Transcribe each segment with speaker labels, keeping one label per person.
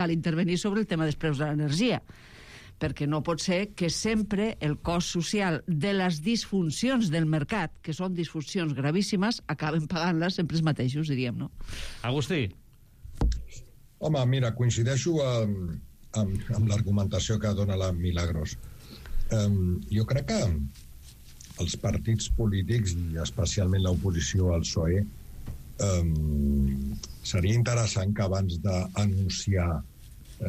Speaker 1: cal intervenir sobre el tema dels preus de l'energia, perquè no pot ser que sempre el cost social de les disfuncions del mercat, que són disfuncions gravíssimes, acaben pagant-les sempre els mateixos, diríem, no?
Speaker 2: Agustí.
Speaker 3: Home, mira, coincideixo amb l'argumentació que dona la Milagros. Jo crec que els partits polítics, i especialment l'oposició al PSOE, seria interessant que abans d'anunciar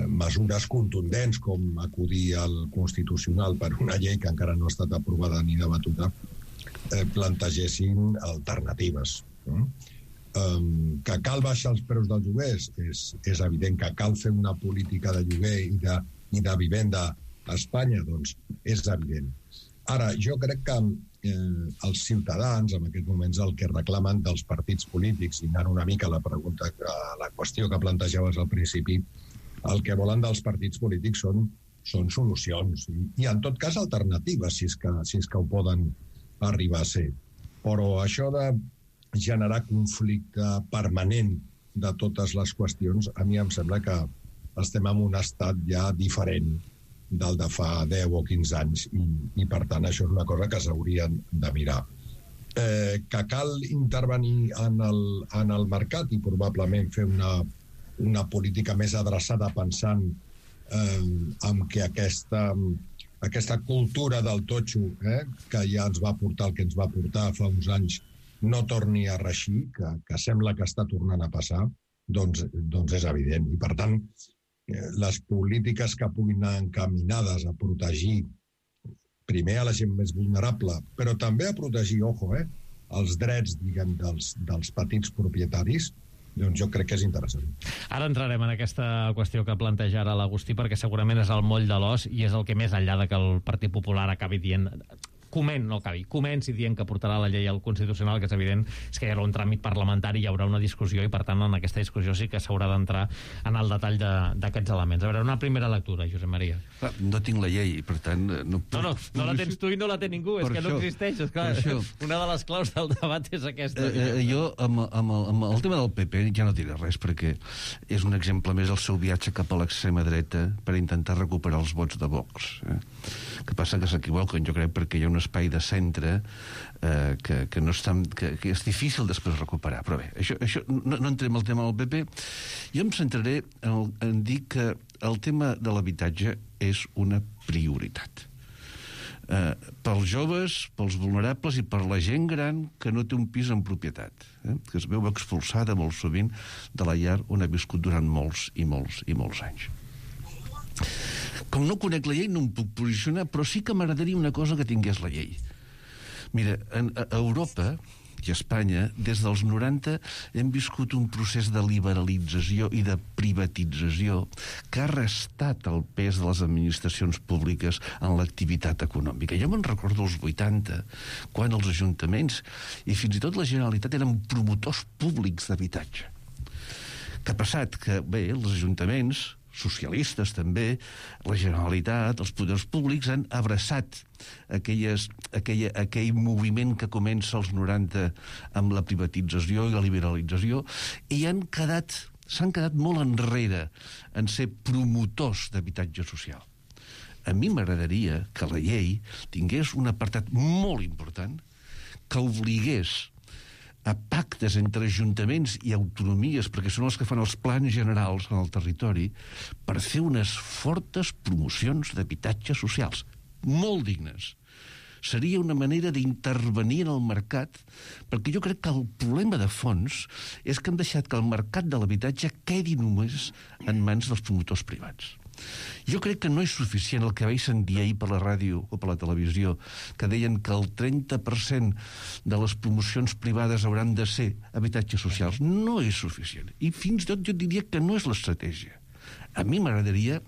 Speaker 3: mesures contundents com acudir al Constitucional per una llei que encara no ha estat aprovada ni debatuda, plantegessin alternatives. Que cal baixar els preus dels lloguers és evident, que cal fer una política de lloguer i de vivenda a Espanya, doncs és evident. Ara, jo crec que els ciutadans en aquests moments el que reclamen dels partits polítics, i anant una mica a la qüestió que plantejaves al principi, el que volen dels partits polítics són solucions i en tot cas alternatives, si és que ho poden arribar a ser. Però això de generar conflicte permanent de totes les qüestions, a mi em sembla que estem en un estat ja diferent del de fa 10 o 15 anys i per tant això és una cosa que s'haurien de mirar. Que cal intervenir en el mercat i probablement fer una política més adreçada pensant en que aquesta cultura del totxo que ja ens va portar el que ens va portar fa uns anys no torni a reeixir, que sembla que està tornant a passar, doncs és evident. I per tant, les polítiques que puguin anar encaminades a protegir primer a la gent més vulnerable, però també a protegir, els drets, diguem, dels petits propietaris, doncs jo crec que és interessant.
Speaker 2: Ara entrarem en aquesta qüestió que planteja ara l'Agustí, perquè segurament és el moll de l'os i és el que més enllà de que el Partit Popular acabi dient... comenci dient que portarà la llei al Constitucional, que és evident, és que hi haurà un tràmit parlamentari, hi haurà una discussió i per tant en aquesta discussió sí que s'haurà d'entrar en el detall d'aquests elements. A veure, una primera lectura, Josep Maria.
Speaker 4: No tinc la llei, per tant... No
Speaker 2: la tens tu i no la té ningú, és que no existeix, és clar. Una de les claus del debat és aquesta.
Speaker 4: Jo, amb el tema del PP, ja no diré res, perquè és un exemple més del seu viatge cap a l'extrema dreta per intentar recuperar els vots de Vox. Que passa que s'equivoquen, jo crec, perquè hi ha un espai de centre que no és que és difícil després recuperar. Però bé, això no entrem al tema del PP. Jo em centraré en dir que el tema de l'habitatge és una prioritat. Pels joves, pels vulnerables i per la gent gran que no té un pis en propietat, que es veu expulsada molt sovint de la llar on ha viscut durant molts i molts i molts anys. Com no conec la llei no em puc posicionar, però sí que m'agradaria una cosa que tingués la llei. Mira, a Europa i a Espanya, des dels 90 hem viscut un procés de liberalització i de privatització que ha restat el pes de les administracions públiques en l'activitat econòmica. Jo me'n recordo als 80, quan els ajuntaments i fins i tot la Generalitat eren promotors públics d'habitatge. Què ha passat? Que, bé, els ajuntaments socialistes també, la Generalitat, els poders públics han abraçat aquell moviment que comença als 90 amb la privatització i la liberalització i s'han quedat molt enrere en ser promotors d'habitatge social. A mi m'agradaria que la llei tingués un apartat molt important que obligués a pactes entre ajuntaments i autonomies, perquè són els que fan els plans generals en el territori, per fer unes fortes promocions d'habitatges socials, molt dignes. Seria una manera d'intervenir en el mercat, perquè jo crec que el problema de fons és que han deixat que el mercat de l'habitatge quedi només en mans dels promotors privats. Jo crec que no és suficient el que vaig sentir ahir per la ràdio o per la televisió, que deien que el 30% de les promocions privades hauran de ser habitatges socials. No és suficient. I fins i tot jo diria que no és l'estratègia. A mi m'agradaria...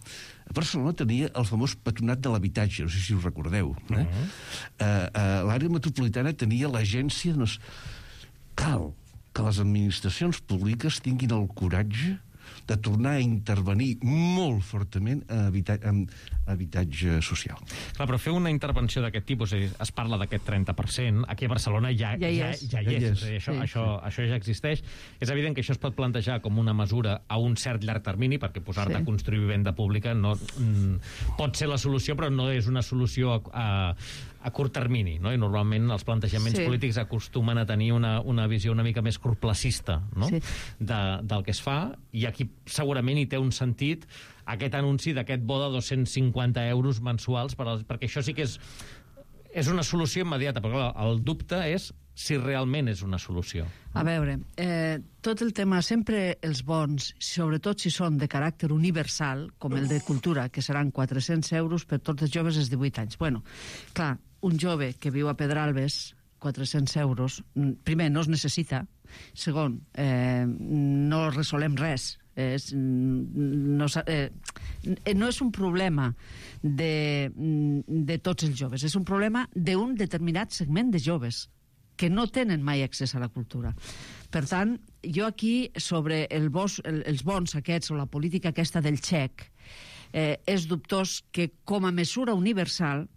Speaker 4: A Barcelona tenia el famós patronat de l'habitatge, no sé si us recordeu. L'àrea metropolitana tenia l'agència... Cal que les administracions públiques tinguin el coratge de tornar a intervenir molt fortament en habitatge social.
Speaker 2: Clar, però fer una intervenció d'aquest tipus, es parla d'aquest 30%, aquí a Barcelona ja hi és. Això ja existeix. És evident que això es pot plantejar com una mesura a un cert llarg termini, perquè posar-te a construir vivenda pública no pot ser la solució, però no és una solució a curt termini, no? I normalment els plantejaments polítics acostumen a tenir una visió una mica més corplacista, no? Del que es fa, i aquí segurament hi té un sentit aquest anunci d'aquest bo de 250 euros mensuals, perquè això sí que és una solució immediata, però el dubte és si realment és una solució.
Speaker 1: A veure, tot el tema, sempre els bons, sobretot si són de caràcter universal, com el de cultura, que seran 400 euros per tots els joves dels 18 anys. Bueno, clar, un jove que viu a Pedralbes, 400 euros, primer, no es necessita, segon, no resolem res. No és un problema de tots els joves, és un problema d'un determinat segment de joves que no tenen mai accés a la cultura. Per tant, jo aquí, sobre els bons aquests o la política aquesta del xec, és dubtós que com a mesura universal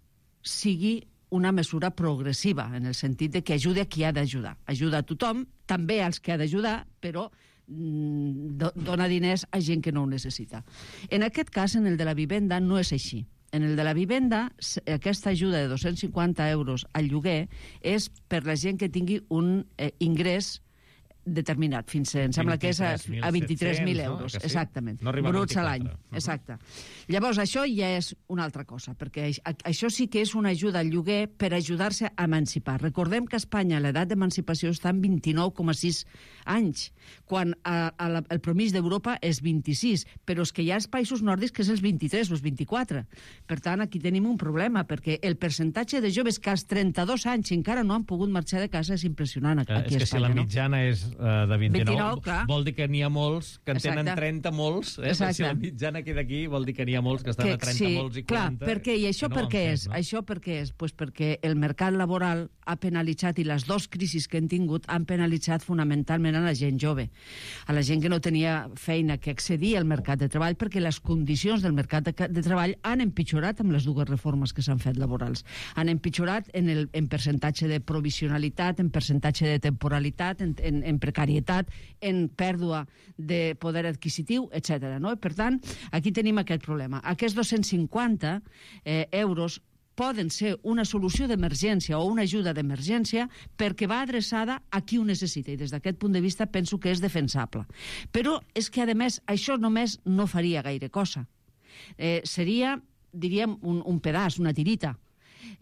Speaker 1: sigui una mesura progressiva, en el sentit de que ajudi a qui ha d'ajudar. Ajuda a tothom, també als que ha d'ajudar, però dona diners a gent que no ho necessita. En aquest cas, en el de la vivenda, no és així. En el de la vivenda, aquesta ajuda de 250 euros al lloguer és per la gent que tingui un ingrés determinat, em sembla que és a 23.000 euros, no? Exactament, no bruts a l'any. Exacte. Llavors, això ja és una altra cosa, perquè això sí que és una ajuda al lloguer per ajudar-se a emancipar. Recordem que a Espanya l'edat d'emancipació està en 29,6 anys, quan el promís d'Europa és 26, però és que hi ha els països nòrdics que és els 23 o els 24. Per tant, aquí tenim un problema, perquè el percentatge de joves que als 32 anys encara no han pogut marxar de casa és impressionant aquí a Espanya. És
Speaker 2: que si la mitjana és de 29 vol dir que n'hi ha molts que en tenen 30 molts, si la mitjana queda aquí vol dir que n'hi ha molts que estan a 30 molts i 40.
Speaker 1: Clar, perquè, i això per què és? Això per què és? Pues perquè el mercat laboral ha penalitzat, i les dues crisis que hem tingut han penalitzat fonamentalment a la gent jove, a la gent que no tenia feina, que accedia al mercat de treball, perquè les condicions del mercat de treball han empitjorat amb les dues reformes que s'han fet laborals. Han empitjorat en percentatge de provisionalitat, en percentatge de temporalitat, en precarietat, en pèrdua de poder adquisitiu, etc. No? Per tant, aquí tenim aquest problema. Aquests 250 euros poden ser una solució d'emergència o una ajuda d'emergència perquè va adreçada a qui ho necessita, i des d'aquest punt de vista penso que és defensable. Però és que, a més, això només no faria gaire cosa. Seria, diríem, un pedaç, una tirita.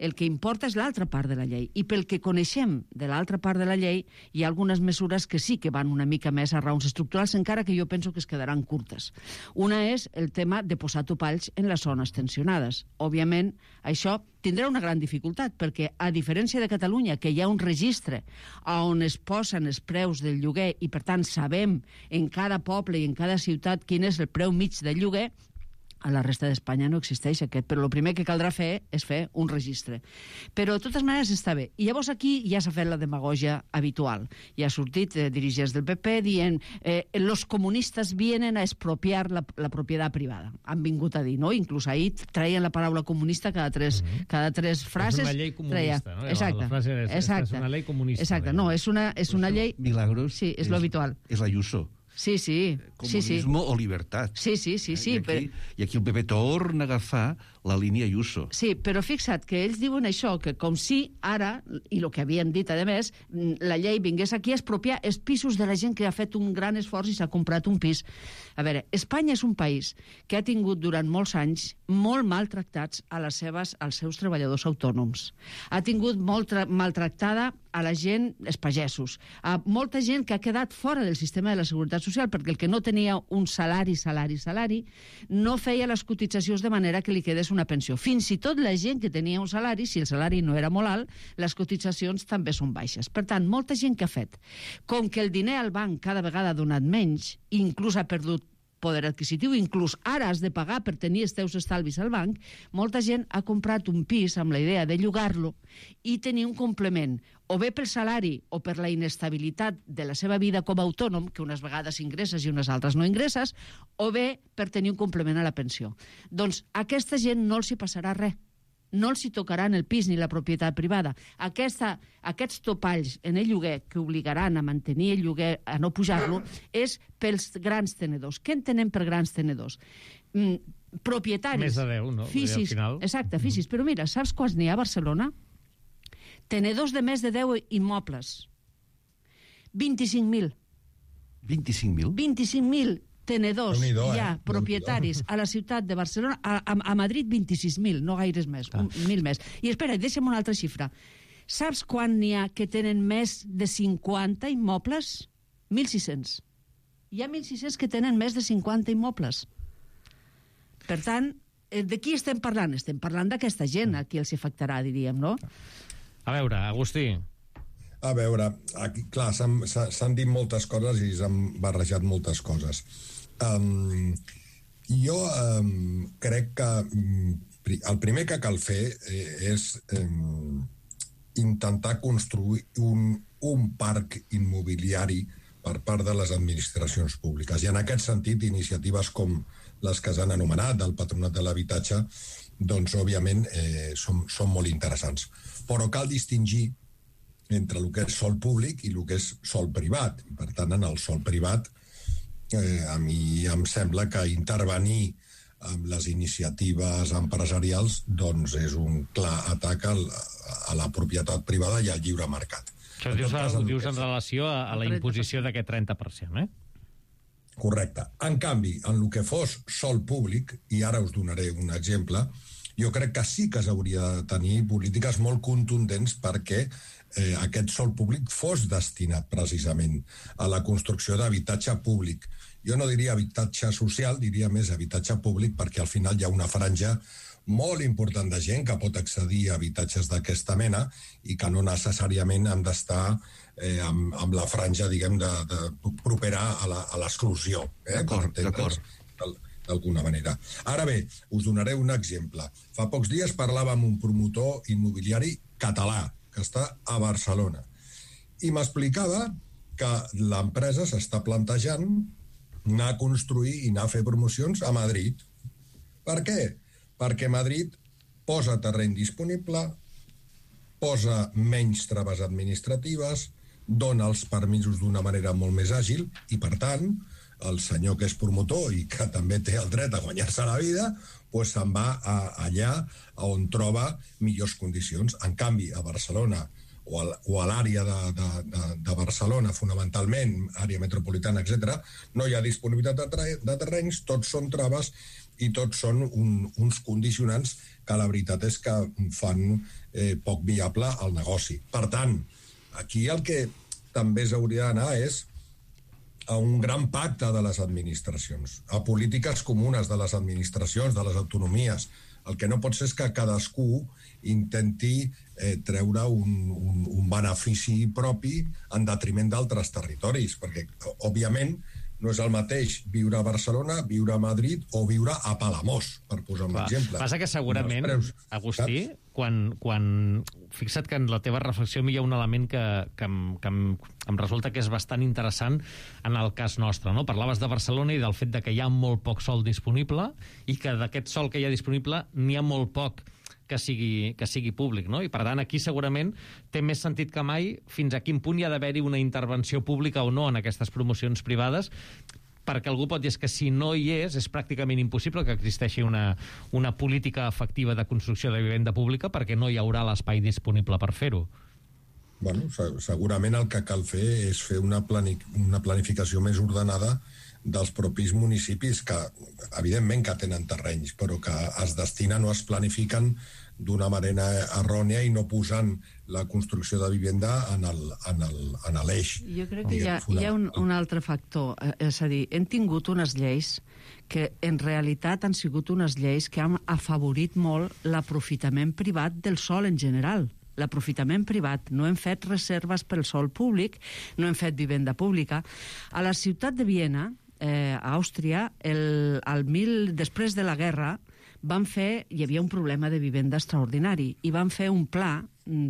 Speaker 1: El que importa és l'altra part de la llei. I pel que coneixem de l'altra part de la llei, hi ha algunes mesures que sí que van una mica més a raons estructurals, encara que jo penso que es quedaran curtes. Una és el tema de posar topalls en les zones tensionades. Òbviament, això tindrà una gran dificultat, perquè, a diferència de Catalunya, que hi ha un registre on es posen els preus del lloguer i, per tant, sabem en cada poble i en cada ciutat quin és el preu mig del lloguer, a la resta d'Espanya no existeix aquest, però el primer que caldrà fer és fer un registre. Però, de totes maneres, està bé. I llavors aquí ja s'ha fet la demagògia habitual. Ja ha sortit dirigents del PP dient los comunistas vienen a expropiar la propietat privada. Han vingut a dir, no? Inclús ahir traien la paraula comunista cada tres frases.
Speaker 2: És una llei comunista, no?
Speaker 1: Exacte.
Speaker 2: La frase és una llei comunista.
Speaker 1: Exacte. No, és una llei...
Speaker 4: Milagros.
Speaker 1: Sí, és lo habitual.
Speaker 4: És la Ayuso.
Speaker 1: Sí, sí.
Speaker 4: Comunismo o libertat.
Speaker 1: Sí.
Speaker 4: I aquí el PP torna a agafar la línia Ayuso.
Speaker 1: Sí, però fixa't que ells diuen això, que com si ara, i el que havien dit, a més, la llei vingués aquí a expropiar els pisos de la gent que ha fet un gran esforç i s'ha comprat un pis. A veure, Espanya és un país que ha tingut durant molts anys molt maltractats als seus treballadors autònoms. Ha tingut molt maltractada a la gent, els pagesos, a molta gent que ha quedat fora del sistema de la Seguretat Social, perquè el que no tenia un salari, no feia les cotitzacions de manera que li quedés una pensió. Fins i tot la gent que tenia un salari, si el salari no era molt alt, les cotitzacions també són baixes. Per tant, molta gent que ha fet. Com que el diner al banc cada vegada ha donat menys, inclús ha perdut poder adquisitiu, inclús ara has de pagar per tenir els teus estalvis al banc, molta gent ha comprat un pis amb la idea de llogar-lo i tenir un complement, o bé pel salari o per la inestabilitat de la seva vida com a autònom, que unes vegades ingresses i unes altres no ingresses, o bé per tenir un complement a la pensió. Doncs a aquesta gent no els hi passarà res. No els hi tocaran el pis ni la propietat privada. Aquests topalls en el lloguer que obligaran a mantenir el lloguer, a no pujar-lo, és pels grans tenedors. Què entenem per grans tenedors? Propietaris.
Speaker 2: Més de 10, no?
Speaker 1: Fisis,
Speaker 2: al final.
Speaker 1: exacte, fisis. Però mira, saps quants n'hi ha a Barcelona? Tenedors de més de 10 immobles. 25.000.
Speaker 4: 25.000?
Speaker 1: 25.000 tenedors,
Speaker 3: ja,
Speaker 1: propietaris a la ciutat de Barcelona, a Madrid 26.000, no gaires més, 1.000 més. I espera, deixa'm una altra xifra. Saps quan n'hi ha que tenen més de 50 immobles? 1.600. Hi ha 1.600 que tenen més de 50 immobles. Per tant, de qui estem parlant? Estem parlant d'aquesta gent a qui els afectarà, diríem, no?
Speaker 2: A veure, Agustí.
Speaker 3: A veure, aquí, clar, s'han dit moltes coses i s'han barrejat moltes coses. Jo crec que el primer que cal fer és intentar construir un parc immobiliari per part de les administracions públiques. I en aquest sentit, iniciatives com les que s'han anomenat del Patronat de l'Habitatge, doncs, òbviament, són molt interessants. Però cal distingir entre el que és sòl públic i el que és sòl privat. I, per tant, en el sòl privat, a mi em sembla que intervenir amb les iniciatives empresarials doncs és un clar atac a la propietat privada i al lliure mercat.
Speaker 2: Això ho dius en relació a la imposició d'aquest 30%, eh?
Speaker 3: Correcte. En canvi, en el que fos sòl públic, i ara us donaré un exemple, jo crec que sí que s'hauria de tenir polítiques molt contundents perquè aquest sòl públic fos destinat precisament a la construcció d'habitatge públic. Jo no diria habitatge social, diria més habitatge públic, perquè al final hi ha una franja molt important de gent que pot accedir a habitatges d'aquesta mena i que no necessàriament han d'estar amb la franja, diguem, propera a l'exclusió.
Speaker 4: D'acord.
Speaker 3: D'alguna manera. Ara bé, us donaré un exemple. Fa pocs dies parlava amb un promotor immobiliari català, que està a Barcelona, i m'explicava que l'empresa s'està plantejant anar a construir i anar a fer promocions a Madrid. Per què? Perquè Madrid posa terreny disponible, posa menys traves administratives, dona els permisos d'una manera molt més àgil i, per tant, el senyor que és promotor i que també té el dret a guanyar-se la vida, doncs se'n va allà on troba millors condicions. En canvi, a Barcelona o a l'àrea de Barcelona, fonamentalment, àrea metropolitana, etc., no hi ha disponibilitat de terrenys, tots són traves i tots són uns condicionants que la veritat és que fan poc viable el negoci. Per tant, aquí el que també s'hauria d'anar és a un gran pacte de les administracions, a polítiques comunes de les administracions, de les autonomies. El que no pot ser és que cadascú intenti treure un benefici propi en detriment d'altres territoris, perquè, òbviament, no és el mateix viure a Barcelona, viure a Madrid o viure a Palamós, per posar un exemple.
Speaker 2: Passa que segurament, Agustí, quan fixa't que en la teva reflexió hi ha un element que em resulta que és bastant interessant en el cas nostre, no? Parlaves de Barcelona i del fet de que hi ha molt poc sòl disponible i que d'aquest sòl que hi ha disponible n'hi ha molt poc que sigui públic, no? I per tant aquí segurament té més sentit que mai fins a quin punt hi ha d'haver-hi una intervenció pública o no en aquestes promocions privades, perquè algú pot dir que si no hi és pràcticament impossible que existeixi una política efectiva de construcció de vivenda pública perquè no hi haurà l'espai disponible per fer-ho.
Speaker 3: Bueno, segurament el que cal fer és fer una planificació més ordenada dels propis municipis que, evidentment, que tenen terrenys, però que es destinen o es planifiquen d'una manera errònia i no posant la construcció de vivenda en l'eix.
Speaker 1: Jo crec que hi ha un altre factor, és a dir, hem tingut unes lleis que en realitat han sigut unes lleis que han afavorit molt l'aprofitament privat del sòl en general. L'aprofitament privat. No hem fet reserves pel sòl públic, no hem fet vivenda pública. A la ciutat de Viena a Àustria, després de la guerra, hi havia un problema de vivenda extraordinari i van fer un pla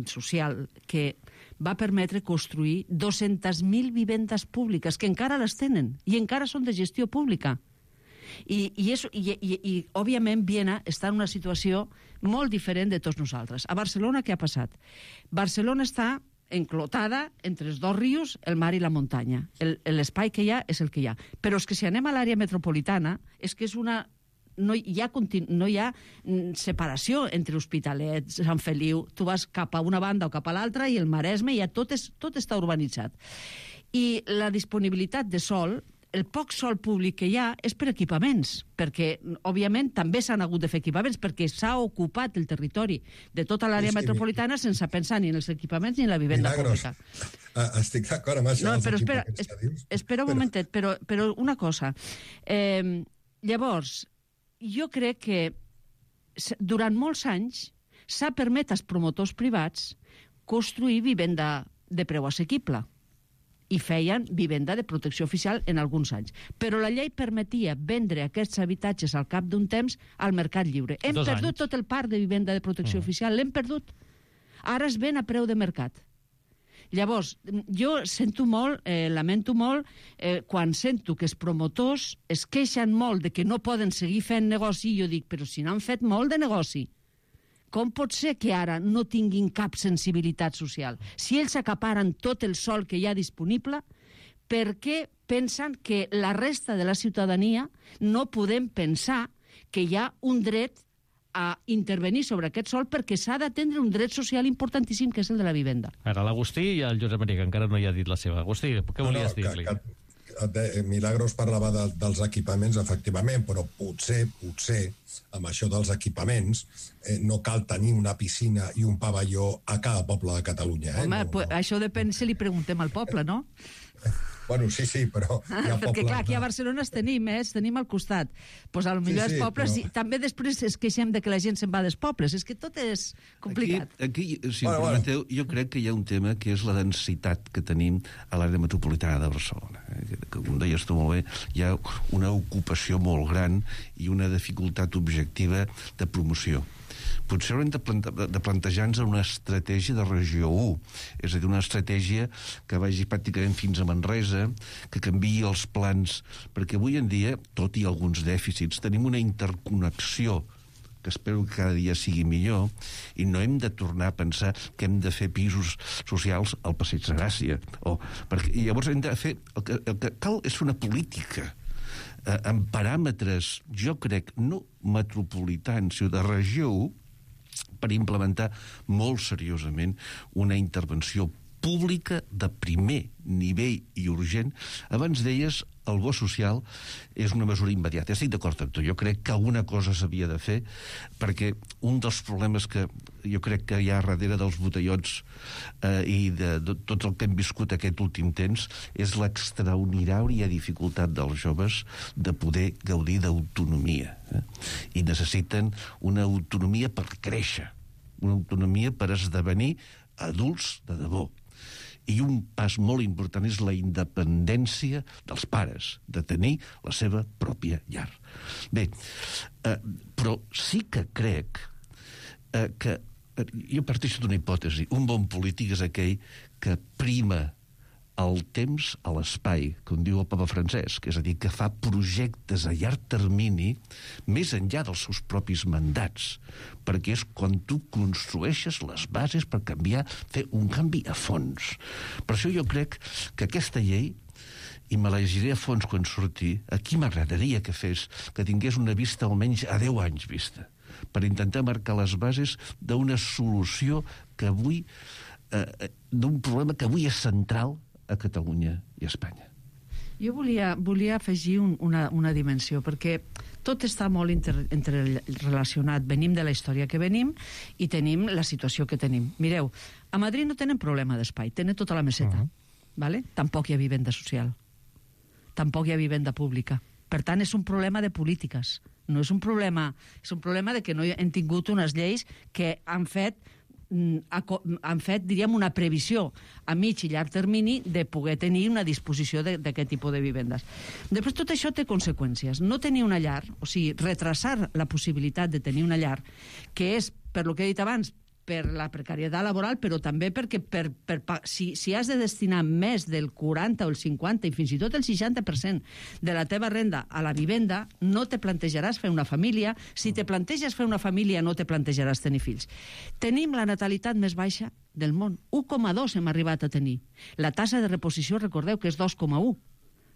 Speaker 1: social que va permetre construir 200.000 vivendes públiques, que encara les tenen i encara són de gestió pública. I òbviament, Viena està en una situació molt diferent de tots nosaltres. A Barcelona, què ha passat? Barcelona està enclotada entre els dos rius, el mar i la muntanya. L'espai que hi ha és el que hi ha. Però és que si anem a l'àrea metropolitana, és que és una... No hi ha separació entre Hospitalet, Sant Feliu. Tu vas cap a una banda o cap a l'altra i el Maresme ja tot està urbanitzat. I la disponibilitat de sòl, el poc sòl públic que hi ha és per equipaments, perquè, òbviament, també s'han hagut de fer equipaments, perquè s'ha ocupat el territori de tota l'àrea metropolitana sense pensar ni en els equipaments ni en la vivenda pública.
Speaker 3: Estic d'acord amb això.
Speaker 1: No, però espera un momentet, però una cosa. Llavors, jo crec que durant molts anys s'ha permès als promotors privats construir vivenda de preu assequible i feien vivenda de protecció oficial en alguns anys. Però la llei permetia vendre aquests habitatges al cap d'un temps al mercat lliure. Hem perdut tot el parc de vivenda de protecció oficial, l'hem perdut. Ara es ven a preu de mercat. Llavors, jo lamento molt quan sento que els promotors es queixen molt de que no poden seguir fent negoci, i jo dic, però si n'han fet molt de negoci, com pot ser que ara no tinguin cap sensibilitat social? Si ells acaparen tot el sòl que hi ha disponible, per què pensen que la resta de la ciutadania no podem pensar que hi ha un dret a intervenir sobre aquest sòl, perquè s'ha d'atendre un dret social importantíssim, que és el de la vivenda?
Speaker 2: Ara l'Agustí i el Josep Maria, que encara no hi ha dit la seva. Agustí, què volies dir-li?
Speaker 3: Milagros parlava dels equipaments, efectivament, però potser, amb això dels equipaments, no cal tenir una piscina i un pavelló a cada poble de Catalunya.
Speaker 1: Home, això depèn si li preguntem al poble, no?
Speaker 3: Bueno, sí, però...
Speaker 1: Perquè, clar, aquí a Barcelona tenim al costat. Doncs potser els pobles... També després es queixem de que la gent se'n va dels pobles. És que tot és complicat.
Speaker 4: Aquí, si em permeteu, jo crec que hi ha un tema que és la densitat que tenim a l'àrea metropolitana de Barcelona. Que, com deies tu molt bé, hi ha una ocupació molt gran i una dificultat objectiva de promoció. Potser haurem de plantejar-nos una estratègia de regió 1, és a dir, una estratègia que vagi pràcticament fins a Manresa, que canviï els plans, perquè avui en dia, tot i alguns dèficits, tenim una interconnexió que espero que cada dia sigui millor, i no hem de tornar a pensar que hem de fer pisos socials al Passeig de Gràcia. Perquè llavors hem de fer... El que cal és una política amb paràmetres, jo crec, no metropolitans, sinó de regió 1, per implementar molt seriosament una intervenció pública de primer nivell i urgent. Abans deies, el bo social és una mesura immediata. Estic d'acord amb tu. Jo crec que alguna cosa s'havia de fer, perquè un dels problemes que jo crec que hi ha darrere dels botellots i de tot el que hem viscut aquest últim temps és l'extraordinària dificultat dels joves de poder gaudir d'autonomia. I necessiten una autonomia per créixer, una autonomia per esdevenir adults de debò. I un pas molt important és la independència dels pares, de tenir la seva pròpia llar. Bé, però sí que crec que jo parteixo d'una hipòtesi. Un bon polític és aquell que prima el temps a l'espai, com diu el papa Francesc, és a dir, que fa projectes a llarg termini més enllà dels seus propis mandats, perquè és quan tu construeixes les bases per canviar, fer un canvi a fons. Per això jo crec que aquesta llei, i me la llegiré a fons quan surti, aquí m'agradaria que fes, que tingués una vista almenys a 10 anys vista, per intentar marcar les bases d'una solució que avui, d'un problema que avui és central a Catalunya i a Espanya.
Speaker 1: Jo volia afegir una dimensió, perquè tot està molt interrelacionat. Venim de la història que venim i tenim la situació que tenim. Mireu, a Madrid no tenen problema d'espai, tenen tota la meseta. ¿Vale? Tampoc hi ha vivenda social. Tampoc hi ha vivenda pública. Per tant, és un problema de polítiques. No és un problema de que no hem tingut unes lleis que han fet han fet, diríem, una previsió a mig i llarg termini de poder tenir una disposició d'aquest tipus de vivendes. Després, tot això té conseqüències. No tenir una llar, o sigui, retrasar la possibilitat de tenir una llar, que és, per lo que he dit abans, per la precarietat laboral, però també perquè si has de destinar més del 40 o el 50 i fins i tot el 60% de la teva renda a la vivenda, no te plantejaràs fer una família. Si te planteges fer una família, no te plantejaràs tenir fills. Tenim la natalitat més baixa del món. 1,2 hem arribat a tenir. La tassa de reposició, recordeu que és 2,1.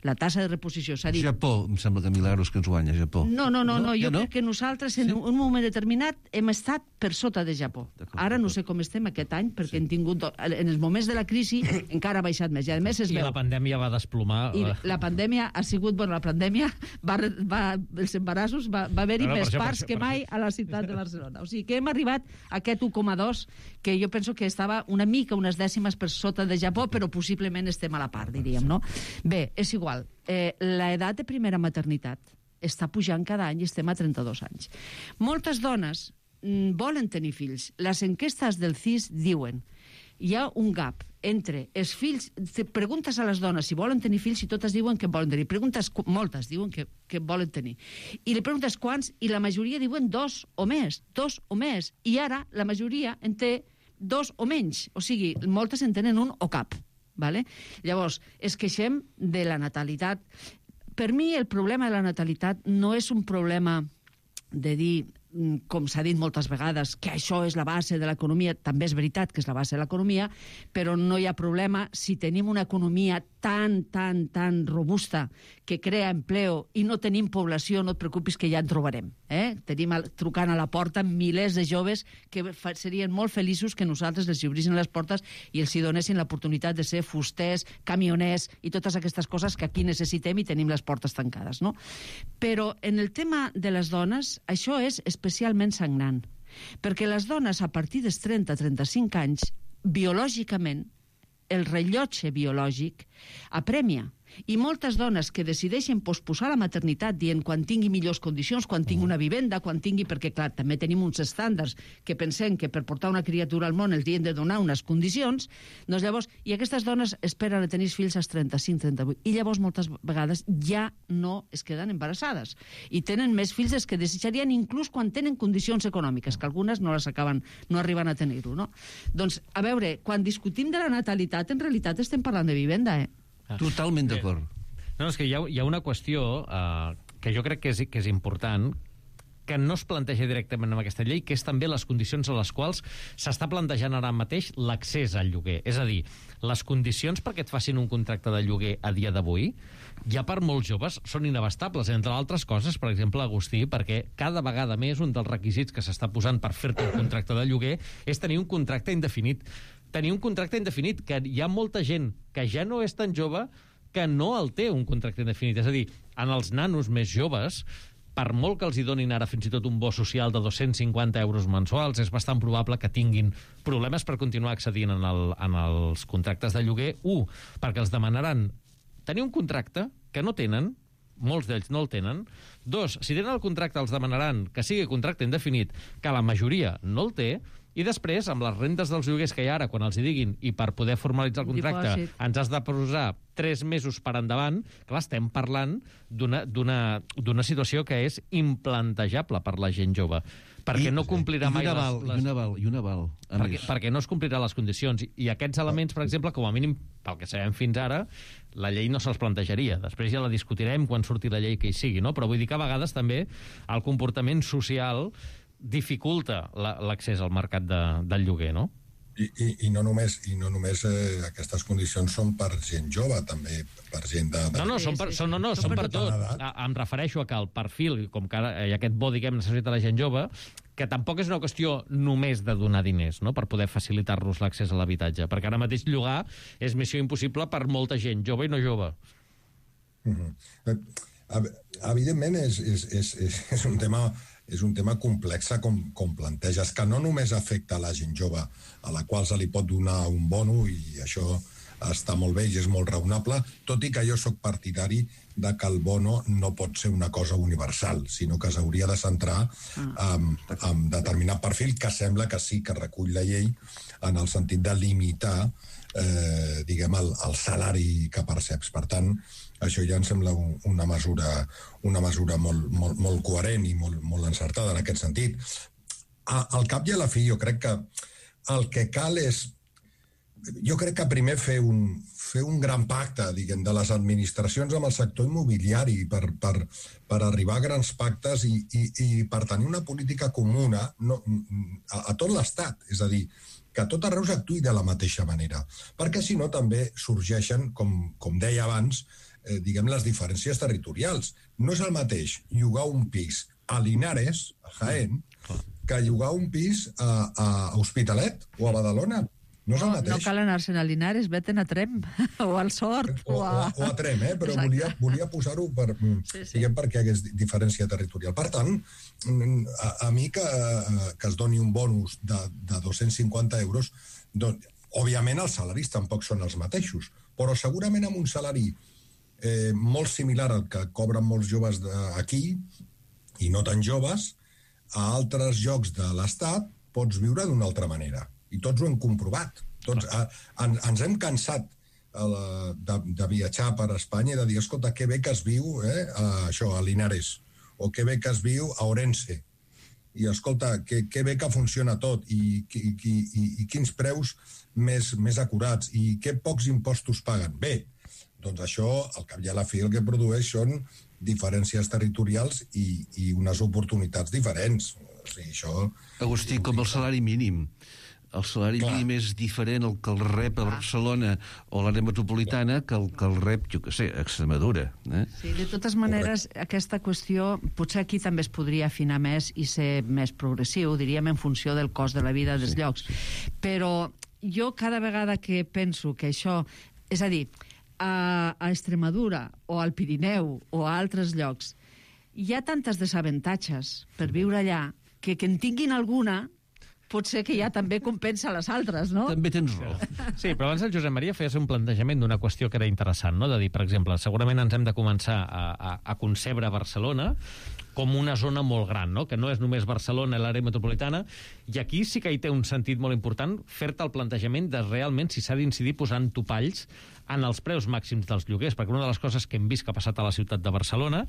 Speaker 1: La tassa de reposició s'ha dit...
Speaker 4: Japó, em sembla que Milagros que ens guanya, Japó.
Speaker 1: No, jo crec que nosaltres en un moment determinat hem estat per sota de Japó. Ara no sé com estem aquest any, perquè hem tingut... En els moments de la crisi encara ha baixat més. I a més es veu...
Speaker 2: I la pandèmia va desplomar...
Speaker 1: I la pandèmia ha sigut... Bueno, la pandèmia els embarassos va haver-hi més parts que mai a la ciutat de Barcelona. O sigui que hem arribat a aquest 1,2, que jo penso que estava una mica, unes dècimes per sota de Japó, però possiblement estem a la part, diríem, no? Bé, és igual. L'edat de primera maternitat està pujant cada any i estem a 32 anys. Moltes dones volen tenir fills. Les enquestes del CIS diuen hi ha un gap entre els fills... Preguntes a les dones si volen tenir fills i totes diuen que volen tenir. Moltes diuen que volen tenir. I li preguntes quants i la majoria diuen 2 o més. I ara la majoria en té 2 o menys. O sigui, moltes en tenen un o cap. Vale? Llavors, es queixem de la natalitat. Per mi el problema de la natalitat no és un problema de dir, com s'ha dit moltes vegades, que això és la base de l'economia. També és veritat que és la base de l'economia, però no hi ha problema si tenim una economia tan robusta que crea empleo i no tenim població, no et preocupis que ja en trobarem. Tenim trucant a la porta milers de joves que serien molt feliços que nosaltres els obrissin les portes i els hi donessin l'oportunitat de ser fusters, camioners i totes aquestes coses que aquí necessitem i tenim les portes tancades, no? Però en el tema de les dones, això és especialment sagnant, perquè les dones a partir dels 30-35 anys, biològicament, el rellotge biològic apremia. I moltes dones que decideixen posposar la maternitat dient quan tingui millors condicions, quan tingui una vivenda, quan tingui... Perquè, clar, també tenim uns estàndards que pensem que per portar una criatura al món els hem de donar unes condicions, doncs llavors... I aquestes dones esperen a tenir fills als 35-38. I llavors moltes vegades ja no es queden embarassades. I tenen més fills dels que desitjarien inclús quan tenen condicions econòmiques, que algunes no arriben a tenir-ho, no? Doncs, a veure, quan discutim de la natalitat, en realitat estem parlant de vivenda,
Speaker 4: Totalment d'acord.
Speaker 2: No, és que hi ha una qüestió que jo crec que és important, que no es planteja directament en aquesta llei, que és també les condicions a les quals s'està plantejant ara mateix l'accés al lloguer. És a dir, les condicions perquè et facin un contracte de lloguer a dia d'avui, ja per molts joves són inabastables, entre altres coses, per exemple, Agustí, perquè cada vegada més un dels requisits que s'està posant per fer-te un contracte de lloguer és tenir un contracte indefinit. Tenir un contracte indefinit, que hi ha molta gent que ja no és tan jove que no el té un contracte indefinit. És a dir, en els nanos més joves, per molt que els hi donin ara fins i tot un bo social de 250 euros mensuals, és bastant probable que tinguin problemes per continuar accedint en els contractes de lloguer. Perquè els demanaran tenir un contracte que no tenen, molts d'ells no el tenen. 2, si tenen el contracte els demanaran que sigui contracte indefinit, que la majoria no el té. I després, amb les rendes dels lloguers que hi ha ara, quan els hi diguin, i per poder formalitzar el contracte ens has de posar 3 mesos per endavant, clar, estem parlant d'una situació que és implantejable per la gent jove, perquè no complirà mai
Speaker 4: I un aval.
Speaker 2: Perquè no es complirà les condicions. I aquests elements, per exemple, com a mínim, pel que sabem fins ara, la llei no se'ls plantejaria. Després ja la discutirem quan surti la llei que hi sigui, no? Però vull dir que a vegades també el comportament social dificulta l'accés al mercat del lloguer, no?
Speaker 3: I no només aquestes condicions són per gent jove, també per gent de...
Speaker 2: Són per tot. Em refereixo a que el perfil, com que ara hi ha aquest bo, diguem, necessita la gent jove, que tampoc és una qüestió només de donar diners, no?, per poder facilitar-los l'accés a l'habitatge, perquè ara mateix llogar és missió impossible per molta gent, jove i no jove.
Speaker 3: Evidentment és un tema complex com planteges, que no només afecta a la gent jove, a la qual se li pot donar un bono, i això està molt bé i és molt raonable, tot i que jo sóc partidari de que el bono no pot ser una cosa universal, sinó que s'hauria de centrar en determinat perfil que sembla que sí que recull la llei en el sentit de limitar diguem, el salari que perceps. Per tant, això ja em sembla una mesura molt coherent i molt encertada en aquest sentit. Al cap i a la fi, jo crec que el que cal és... Jo crec que primer fer un gran pacte, diguem, de les administracions amb el sector immobiliari per arribar a grans pactes i per tenir una política comuna a tot l'Estat. És a dir, que tot arreu s'actuï de la mateixa manera. Perquè, si no, també sorgeixen, com deia abans, diguem, les diferències territorials. No és el mateix llogar un pis a Linares, a Jaén, que llogar un pis a Hospitalet o a Badalona. No és el mateix.
Speaker 1: No cal anar-se'n a Linares, veten a Tremp, o al Sort.
Speaker 3: O a Tremp, però volia posar-ho diguem, perquè hi hagués diferència territorial. Per tant, a mi que es doni un bonus de 250 euros, doncs, òbviament els salaris tampoc són els mateixos, però segurament amb un salari molt similar al que cobren molts joves aquí, i no tan joves, a altres llocs de l'Estat pots viure d'una altra manera. I tots ho hem comprovat. Ens hem cansat de viatjar per Espanya i de dir, escolta, que bé que es viu a Linares, o que bé que es viu a Orense, i escolta, que bé que funciona tot, i quins preus més acurats, i que pocs impostos paguen. Bé, doncs això, al cap i a la fi, el que produeix són diferències territorials i unes oportunitats diferents. O sigui, això...
Speaker 4: Agustí, com el salari mínim. El salari mínim és diferent el que el rep a Barcelona o l'àrea metropolitana que el rep, jo què sé, a Extremadura.
Speaker 1: Sí, de totes maneres, aquesta qüestió potser aquí també es podria afinar més i ser més progressiu, diríem, en funció del cost de la vida dels llocs. Però jo cada vegada que penso que això... És a dir, a Extremadura o al Pirineu o a altres llocs hi ha tantes desavantatges per viure allà que en tinguin alguna... pot ser que ja també compensa les altres, no?
Speaker 4: També tens raó.
Speaker 2: Sí, però abans el Josep Maria feia un plantejament d'una qüestió que era interessant, no? De dir, per exemple, segurament ens hem de començar a concebre Barcelona com una zona molt gran, no? Que no és només Barcelona, l'àrea metropolitana, i aquí sí que hi té un sentit molt important fer-te el plantejament de realment si s'ha d'incidir posant topalls en els preus màxims dels lloguers, perquè una de les coses que hem vist que ha passat a la ciutat de Barcelona